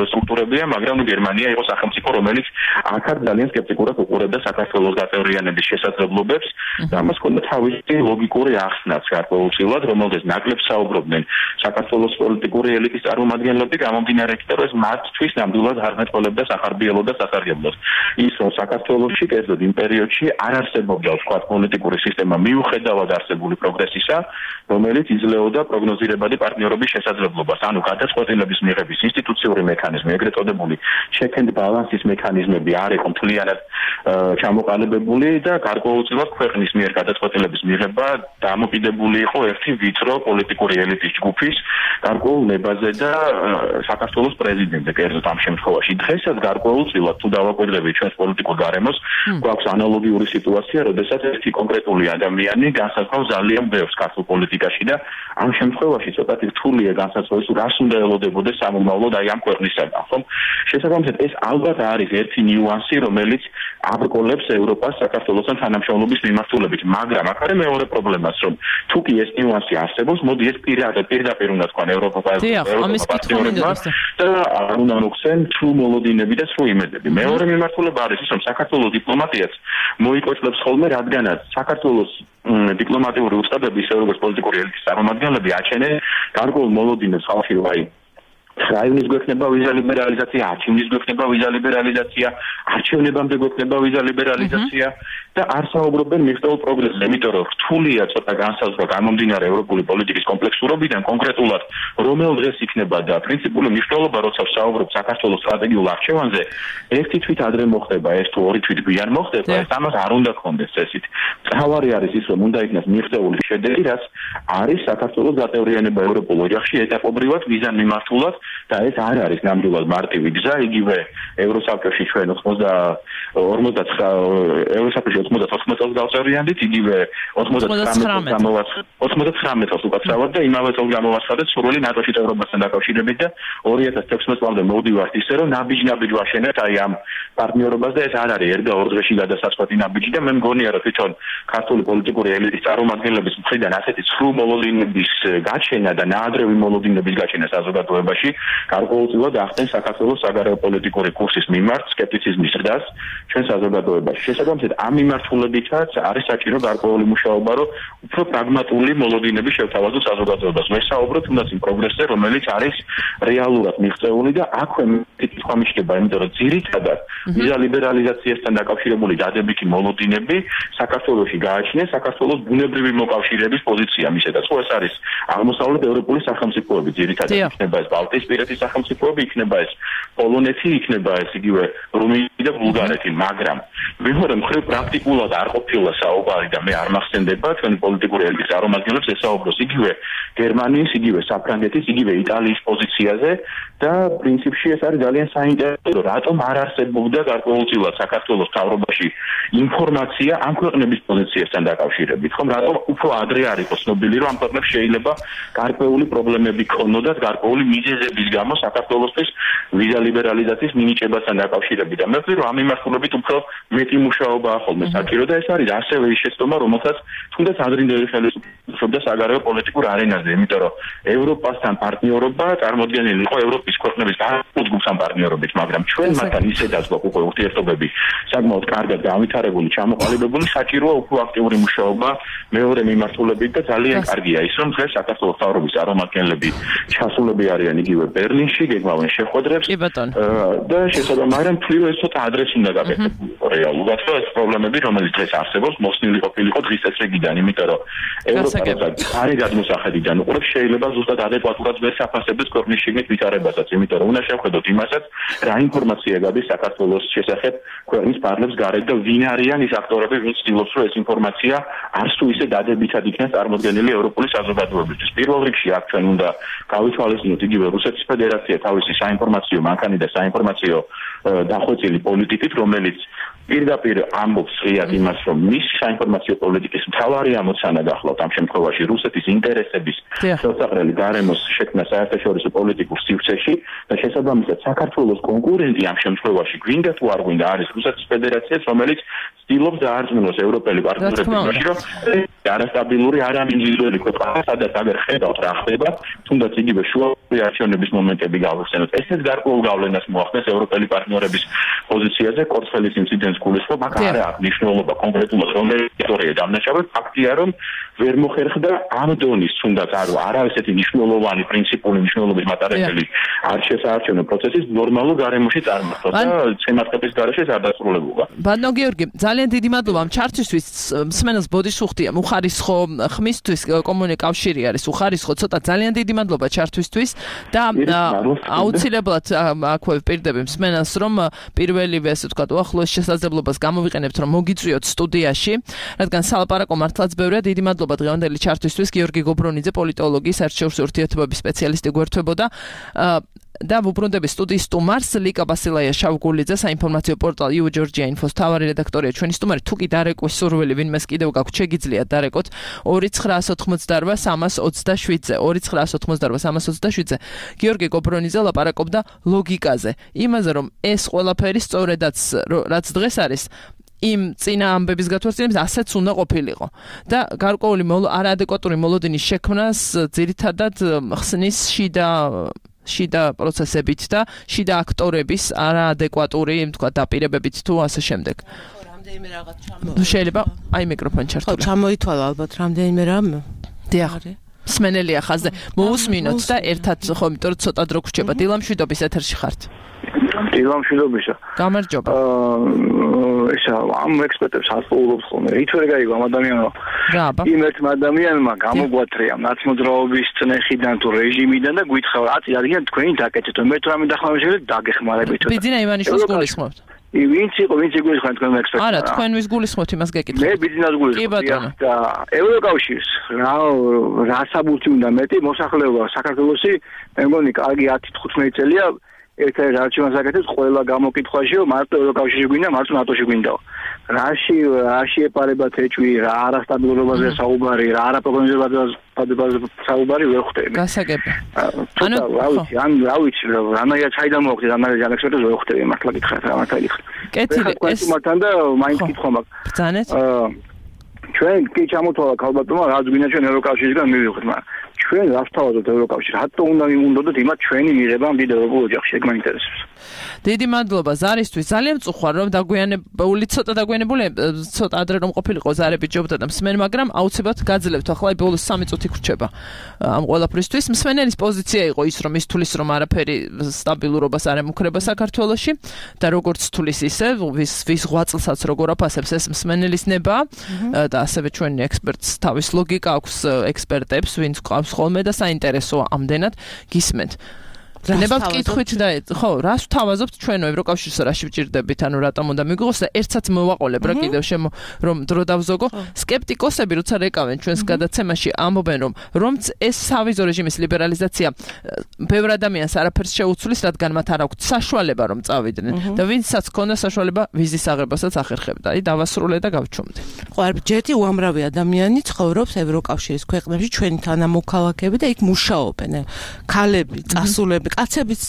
სტრუქტურებია მაგრამ გერმანია იყო სახელმწიფო რომელიც აქაც ძალიან სკეპტიკურად უყურებდა საქართველოს გაწევრიანების შესაძლებლობებს და ამას ჰქონდა თავისი ლოგიკური ახსნაც გარკვეულწილად რომელზეც ნაკლებ საუბრობდნენ საქართველოს პოლიტიკური ელიტის წარმომადგენლები გამომდინარე იქიდან რომ ეს მათთვის ნამდვილად არ მეტყოლებდა სახარბიელო და სასარგებლოს ის რომ საქართველოში კერძოდ იმ პერიოდში არ არსებობდა თქვა პოლიტიკური სისტემა მიუხედავად არსებული პროგრესისა რომელიც იძლეოდა პროგნოზირებადი პარტნიორობის შესაძლებლობას ანუ გადაწყვეტილების მიღების ინსტიტუციური მექანიზმი ეგრეთ წოდებული check and balance-ის მექანიზმები არ იყო მთლიანად ჩამოყალიბებული და გარკვეულწილად ქვეყნის მიერ გადაწყვეტილების მიღება დამოკიდებული იყო ერთი ვიწრო პოლიტიკური ელიტის ჯგუფის გარკვეულ ნებაზე და საქართველოს პრეზიდენტზე კერძოდ ამ შემთხვევაში დღესაც გარკვეულწილად თუ დავაკვირდებით ჩვენს პოლიტიკურ გარემოს გვაქვს ანალოგიური სიტუაცია როდესაც ერთი კონკრეტული ადამიანი განსაზღვრავს ძალიან ბევრს ქართულ პოლიტიკაში და ამ შემთხვევაში ცოტათი რთულია განსაზღვროს რას უნდა ელოდებოდეს სამომავლო მოდა ამ ქვეყნისაგან, ხომ? შესაბამისად ეს ალბათ არის ერთი ნიუანსი, რომელიც აბრკოლებს ევროპას საქართველოსთან თანამშრომლობის მიმართულებით, მაგრამ აქ არის მეორე პრობლემაც, რომ თუ კი ეს ნიუანსი არსებობს, მოდი ეს პირდაპირ უნდა თქვან ევროპასთან და არ უნდა მოხსენ სრულ მოლოდინები და სრულ იმედები. მეორე მიმართულება არის ის, რომ საქართველოს დიპლომატიაც მოიკვეთლებს ხოლმე, რადგანაც საქართველოს დიპლომატიური უწყებები, ისე როგორც პოლიტიკური ელიტის წარმომადგენლები აჩენენ გარკვეულ მოლოდინებს ხალხი, აი რაიონის გვექნება ვიზა ლიბერალიზაცია, არჩევნის გვექნება ვიზა ლიბერალიზაცია, არჩევნებამდე გვექნება ვიზა ლიბერალიზაცია და არ საუბრობენ მიღწეულ პროგრესზე, იმიტომ რომ რთულია ცოტა განსაზღვრა გამომდინარე ევროპული პოლიტიკის კომპლექსურობიდან კონკრეტულად რომელ დღეს იქნება და პრინციპული მნიშვნელობა, როცა საუბრობ საქართველოს სტრატეგიულ არჩევანზე, ერთი თვით ადრე მოხდება, ეს თუ ორი თვით გვიან მოხდება, ეს ამას არ უნდა გქონდეს წესით. თავარი არის ის, რომ უნდა იქნას მიღწეული შედეგი, რაც არის საქართველოს გაწევრიანება ევროპულ ოჯახში ეტაპობრივად ვიზან მიმართულად და ეს არ არის ნამდვილად მარტივი გზა, იგივე ევროსაბჭოში ჩვენ 99 წელს გავწევრიანდით, იგივე 99 წელს უკაცრავად და იმავე წელს გამოვაცხადეთ სრული ნატოში წევრობასთან დაკავშირებით და 2016 წლამდე მოვდივართ ისე, რომ ნაბიჯ ვაშენეთ აი ამ პარტნიორობას და ეს არ არის ერთ და ორ დღეში გადასაწყვეტი ნაბიჯი და მე მგონია, რომ თვითონ ქართული პოლიტიკური ელიტის წარმომადგენლების მხრიდან ასეთი სრულ მოლოდინების გაჩენა და ნაადრევი მოლოდინების გაჩენა საზოგადოებაში გარკვეულწილად ახდენს საქართველოს საგარეო პოლიტიკური კურსის მიმართ სკეპტიციზმის ზრდას ჩვენ საზოგადოებაში. შესაბამისად, ამ მიმართულებითაც არის საჭირო გარკვეული მუშაობა, რომ უფრო პრაგმატული მოლოდინები შევთავაზოთ საზოგადოებას. მე საუბრობ თუნდაც იმ პროგრესზე, რომელიც არის რეალურად მიღწეული და აქვე თქვა მიჩნდება, იმიტომ რომ ძირითადად ვიზა ლიბერალიზაციასთან დაკავშირებული დადებითი მოლოდინები საქართველოში გააჩნია საქართველოს ბუნებრივი მოკავშირეების პოზიცია მისედაც. ხო ეს არის აღმოსავლეთ ევროპული სახელმწიფოები, ძირითადად იქნება ეს ბალტიისპირეთის სახელმწიფოები, იქნება ეს პოლონეთი, იქნება ეს იგივე რუმინეთი და ბულგარეთი, მაგრამ მეორე მხრივ პრაქტიკულად არ ყოფილა საუბარი და მე არ მახსენდება ჩვენი პოლიტიკური ელიტის წარმომადგენლებს ესაუბროს იგივე გერმანიის, იგივე საფრანგეთის, იგივე იტალიის პოზიციაზე და პრინციპში ეს არის ძალიან საინტერესო, რატომ არ არსებობდა გარკვეულწილად საქართველოს მთავრობაში ინფორმაცია ამ ქვეყნების პოზიციასთან დაკავშირებით, ხომ? რატომ უფრო ადრე არ იყო ცნობილი, რომ ამ ქვეყნებს შეიძლება გარკვეული პრობლემები ქონოდათ, გარკვეული მიზეზების გამო საქართველოსთვის ვიზა ლიბერალიზაციის მინიჭებასთან დაკავშირებით და მე ვფიქრობ, რომ ამ მიმართულებით უფრო მეტი მუშაობაა ხოლმე საჭირო და ეს არის ასევე ის შეცდომა, რომელსაც თუნდაც ადრინდელი ხელისუფლება საგარეო პოლიტიკურ არენაზე, იმიტომ რომ ევროპასთან პარტნიორობა წარმოადგენილი იყო ევროპის ქვეყნების გარკვეულ ჯგუფთან პარტნიორობით, მაგრამ ჩვენ მათთან ისედაც გვაქვს უკვე ურთიერთობები საკმაოდ კარგად გავითარებული, ჩამოყალიბებული, საჭიროა უფრო აქტიური მუშაობა მეორე მიმართულებით და ძალიან კარგია ის, რომ დღეს საქართველოს მთავრობის წარმომადგენლები ჩასულები არიან იგივე ბერლინში, გეგმავენ შეხვედრებს და შესაბამისად, მაგრამ თვითონ ეს ცოტა ადრეს უნდა გაკეთებულიყო რეალურად, რომ ეს პრობლემები, რომელიც დღეს არსებობს, მოსნილი ყოფილიყო დღის წესრიგიდან, იმიტომ რომ ევროპა არი გადმოსახედიდან უყურებს შეიძლება ზუსტად ადეკვატურად ვერ საფასებს ქვეყნის შიგნით ვითარებასაც, იმიტომ რომ უნდა შევხედოთ იმასაც, რა ინფორმაცია გადის საქართველოს შესახებ ქვეყნის პარლამენტს გარეთ და ვინ არიან ის აქტორები, ვინც ცდილობს, რომ ეს ინფორმაცია არც თუ ისე დადებითად იქნას წარმოდგენილი ევროპული საზოგადოებისთვის. პირველ რიგში აქ ჩვენ უნდა გავითვალისწინოთ იგივე რუსეთის ფედერაცია თავისი საინფორმაციო მანქანით და საინფორმაციო დახვეწილი პოლიტიკით, რომელიც პირდაპირ ამბობს ღიად იმას, რომ მის საინფორმაციო პოლიტიკის მთავარი ამოცანა გახლავთ ამ შემთხვევაში რუსეთის ინტერესების ხელსაყრელი გარემოს შექმნა საერთაშორისო პოლიტიკურ სივრცეში და შესაბამისად საქართველოს კონკურენტი ამ შემთხვევაში გვინდა თუ არ გვინდა არის რუსეთის ფედერაციაც, რომელიც ცდილობს დაარწმუნოს ევროპელი პარტნიორები, რომ არასტაბილური არამინიმალური ქვეყანა, სადაც აღარ ხედავთ რა ხდება, თუნდაც იგივე შუა არჩევნების მომენტები გავხსენოთ. ესეც გარკვეულ გავლენას მოახდენს ევროპელი პარტნიორების პოზიციაზე, კორცხელის ინციდენტს გულისხმობ, აქ არ აქვს მნიშვნელობა კონკრეტულად რომელი ისტორია დამნაშავე, ფაქტია, რომ ვერ მოხერხდა ამ დონის თუნდაც არა ესეთი მნიშვნელოვანი პრინციპული მნიშვნელობის მატარებელი საარჩევნო პროცესის ნორმალურ გარემოში წარმართვა და შემართების გარეშე არ დასრულებულა. ბატონო გიორგი, ძალიან დიდი მადლობა ამ ჩართვისთვის. მსმენელს ბოდიშუხტია უხარისხო ხმისთვის კომუნიკავშირი არის უხარისხო, ცოტა ძალიან დიდი მადლობა ჩართვისთვის და აუცილებლად აქვე ვპირდები მსმენელს, რომ პირველივე ასე ვთქვათ უახლოეს შესაძლებლობას გამოვიყენებთ, რომ მოგიწვიოთ სტუდიაში, რადგან სალაპარაკო მართლაც ბევრია. დიდი მადლობა დღევანდელი ჩართვისთვის. გიორგი გობრონიძე, პოლიტოლოგი, საერთაშორისო ურთიერთობების სპეციალისტი გვერდთვებოდა. და ვუბრუნდები სტუდიის სტუმარს ლიკა ბასილაია შავგულიძე საინფორმაციო პორტალ You Georgia Info-ს თავარი რედაქტორია ჩვენი სტუმარი თუ კი დარეკვის სურვილი ვინმეს კიდევ გაქვთ შეგიძლიათ დარეკოთ 2988-327-ზე 2988-327-ზე გიორგი გობრონიძე ლაპარაკობდა ლოგიკაზე იმაზე რომ ეს ყველაფერი სწორედაც რაც დღეს არის იმ წინა ამბების გათვალისწინებს ასეც უნდა ყოფილიყო და გარკვეული არაადეკვატური მოლოდინის შექმნას ძირითადად ხსნის შიდა პროცესებით და შიდა აქტორების არაადეკვატური თქვა დაპირებებით თუ ასე შემდეგ. რამდენიმე რაღაც ჩამოიტანა. შეიძლება აი მიკროფონი ჩართული. ხო, ჩამოითვალა ალბათ რამდენიმე რამ. დიახ. სმენელია ხაზზე. მოусმინოთ და ერთად ხო, იმიტომ რომ ცოტა დრო გრჩება. დილამშვიდობის ეთერში ხართ. დილამშვიდობისა. გამარჯობა. ესა ამ ექსპერტებს ასწავლობს ხოლმე. ითვერე გაიგო ამ ადამიანმა. რა აბა. იმ ერთ ადამიანმა გამოგვათრია ნაცმოძრაობის წნეხიდან თუ რეჟიმიდან და გვითხრა აწი არიან თქვენი დაკეთეთ. მე თუ რამე დახმარება შეიძლება დაგეხმარებით. ბიძინა ივანიშვილს გულისხმობთ. ვინც იყო გულისხმობთ თქვენ ექსპერტებს? არა, თქვენ ვის გულისხმობთ იმას გეკითხეთ. მე ბიძინას გულისხმობ. და ევროკავშირს რა საბუთი უნდა მეტი მოსახლეობა საქართველოსი მე მგონი კარგი 10-15 წელია ერთ-ერთ არჩევანს აკეთებს ყველა გამოკითხვაში რომ მარტო ევროკავშირში გვინდა, მარტო ნატოში გვინდა. რაში ეპარება თეჭვი, რა არასტაბილურობაზე საუბარი, რა არაპროგნოზირებაზე საუბარი ვერ ხვდები. გასაგები. ანუ რა ვიცი, რანაირად ჩაიდან მოვხდი, რანაირად ექსპერტებს ვერ ხვდები, მართლა გითხრათ, რა მართლა გითხრათ. კეთილი, ეს მართლა და მაინც კითხვა მაქვს. ბრძანეთ? ჩვენ კი ჩამოთვალა ქალბატონმა, რაც გვინდა ჩვენ ევროკავშირისგან მივიღოთ, მაგრამ ჩვენ რას თავაზობთ ევროკავშირს? რატო უნდა მივუნდოდოთ იმათ ჩვენი მიღება დიდ ევროპულ ოჯახში? ეგ მაინტერესებს. დიდი მადლობა ზარისთვის. ძალიან მწუხარ რომ ცოტა დაგვიანებული, ცოტა ადრე რომ ყოფილიყო ზარები ჯობდა და მსმენ, მაგრამ აუცილებლად გაძლევთ ახლა ბოლოს 3 წუთი გრჩება ამ ყველაფრისთვის. მსმენელის პოზიცია იყო ის რომ ის თulis რომ არაფერი სტაბილურობას არ ემუქრება საქართველოში და როგორც თulis ისე ვის ღვაწლსაც როგორ აფასებს ეს მსმენელის ნება და ასევე ჩვენი ექსპერტს თავის ლოგიკა აქვს ექსპერტებს ვინც ყავს ხოლმე და საინტერესოა ამდენად გისმენთ. ნებავთ კითხვით და ხო, რას ვთავაზობთ ჩვენო ევროკავშირს რაში ვჭირდებით, ანუ რატომ უნდა მიგვიღოს და ერთსაც მოვაყოლებ რა კიდევ რომ დრო დავზოგო. სკეპტიკოსები როცა რეკავენ ჩვენს გადაცემაში ამბობენ რომც ეს სავიზო რეჟიმის ლიბერალიზაცია ბევრ ადამიანს არაფერს შეუცვლის, რადგან მათ არ აქვთ საშუალება რომ წავიდნენ და ვინცაც ქონდა საშუალება ვიზის აღებასაც ახერხებდა. აი დავასრულე და გავჩუმდი. ხო, ჯერთი უამრავი ადამიანი ცხოვრობს ევროკავშირის ქვეყნებში, ჩვენი თანამოქალაქეები და იქ მუშაობენ. ქალები, წასულები კაცებიც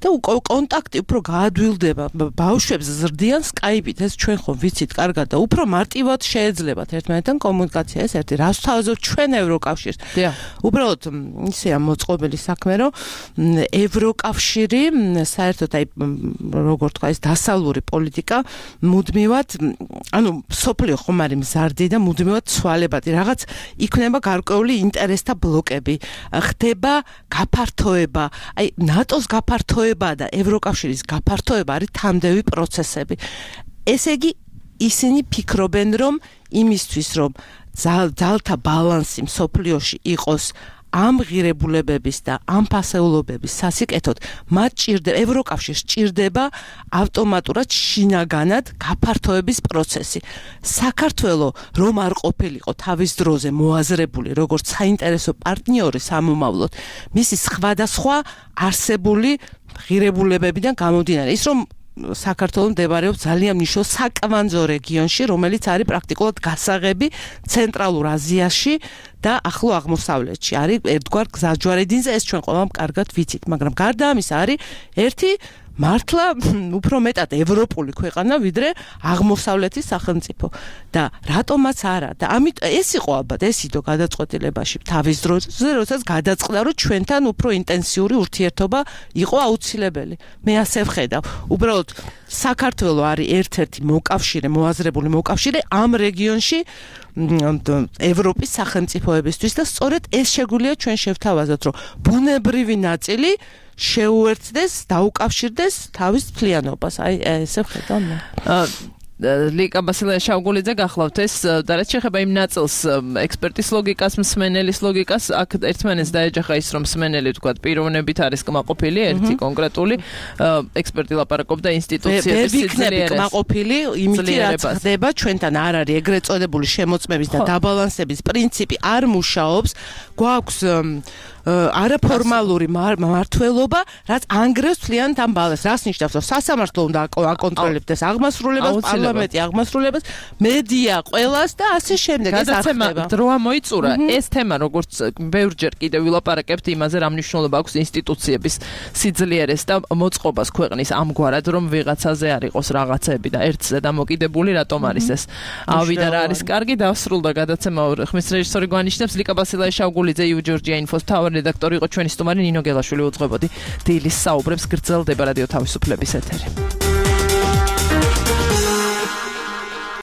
და კონტაქტი უფრო გაადვილდება ბავშვებს ზრდიან Skype-ით ეს ჩვენ ხომ ვიცით კარგად და უფრო მარტივად შეეძლებათ ერთმანეთთან კომუნიკაცია ეს ერთი რას თავაზობთ ჩვენ ევროკავშირს უბრალოდ ისეა მოწყობილი საქმე რომ ევროკავშირი საერთოდ აი როგორ თქვა ეს დასავლური პოლიტიკა მუდმივად ანუ სოფლიო ხომ არის მზარდი და მუდმივად ცვალებადი რაღაც იქნება გარკვეული ინტერესთა ბლოკები ხდება გაფართოება აი ნატოს გაფართოება და ევროკავშირის გაფართოება არის თამდევი პროცესები. ესე იგი ისინი ფიქრობენ რომ იმისთვის რომ ძალთა ბალანსი მსოფლიოში იყოს ამ ღირებულებების და ამ ფასეულობების სასიკეთოდ მათ ჭირდება ევროკავშირს ჭირდება ავტომატურად შინაგანად გაფართოების პროცესი. საქართველო რომ არ ყოფილიყო თავის დროზე მოაზრებული როგორც საინტერესო პარტნიორი სამომავლოდ მისი სხვადასხვა არსებული ღირებულებებიდან გამომდინარე ის რომ საქართველო მდებარეობს ძალიან მნიშვნელოვან საკვანძო რეგიონში, რომელიც არის პრაქტიკულად გასაღები ცენტრალურ აზიაში და ახლო აღმოსავლეთში. არის ერთგვარ გზაჯვარედინზე, ეს ჩვენ ყველამ კარგად ვიცით, მაგრამ გარდა ამისა არის ერთი მართლა უფრო მეტად ევროპული ქვეყანა ვიდრე აღმოსავლეთის სახელმწიფო და რატომაც არა და ამით ეს იყო ალბათ ეს იდო გადაწყვეტილებაში თავის დროზე როდესაც გადაწყდა რომ ჩვენთან უფრო ინტენსიური ურთიერთობა იყო აუცილებელი მე ასე ვხედავ უბრალოდ საქართველო არის ერთ-ერთი მოკავშირე მოაზრებული მოკავშირე ამ რეგიონში ევროპის სახელმწიფოებისთვის და სწორედ ეს შეგვიძლია ჩვენ შევთავაზოთ რომ ბუნებრივი ნაწილი შეუერთდეს, დაუკავშირდეს თავის თლიანობას. აი ესე ვხედავ მე. ლიკა ბასილაია შავგულიძე გახლავთ ეს და რაც შეეხება იმ ნაწილს ექსპერტის ლოგიკას, მსმენელის ლოგიკას, აქ ერთმანეთს დაეჯახა ის რომ მსმენელი თქვა პიროვნებით არის კმაყოფილი, ერთი კონკრეტული ექსპერტი ლაპარაკობდა ინსტიტუციების სიძლიერეს. კმაყოფილი, იმითი რაც ხდება ჩვენთან არ არის ეგრეთ წოდებული შემოწმების და დაბალანსების პრინციპი არ მუშაობს. გვაქვს არაფორმალური მმართველობა, რაც ანგრევს მთლიანად ამ ბალანსს. რას ნიშნავს, რომ სასამართლო უნდა აკონტროლებდეს აღმასრულებას, პარლამენტი აღმასრულებას, მედია ყველას და ასე შემდეგ. ეს არ ხდება. დრო ამოიწურა. ეს თემა, როგორც ბევრჯერ კიდევ ვილაპარაკებთ იმაზე, რა მნიშვნელობა აქვს ინსტიტუციების სიძლიერეს და მოწყობას ქვეყნის ამგვარად, რომ ვიღაცაზე არ იყოს რაღაცები და ერთზე დამოკიდებული, რატომ არის ეს? ავიდა რა არის კარგი, დასრულდა გადაცემა. ხმის რეჟისორი გვანიშნებს ლიკა ბასილაი-შავგულიძე, იუ ჯორჯია ინფოს თავარი რედაქტორი იყო ჩვენი სტუმარი ნინო გელაშვილი. უძღვებოდი დილის საუბრებს, გრძელდება რადიო თავისუფლების ეთერი.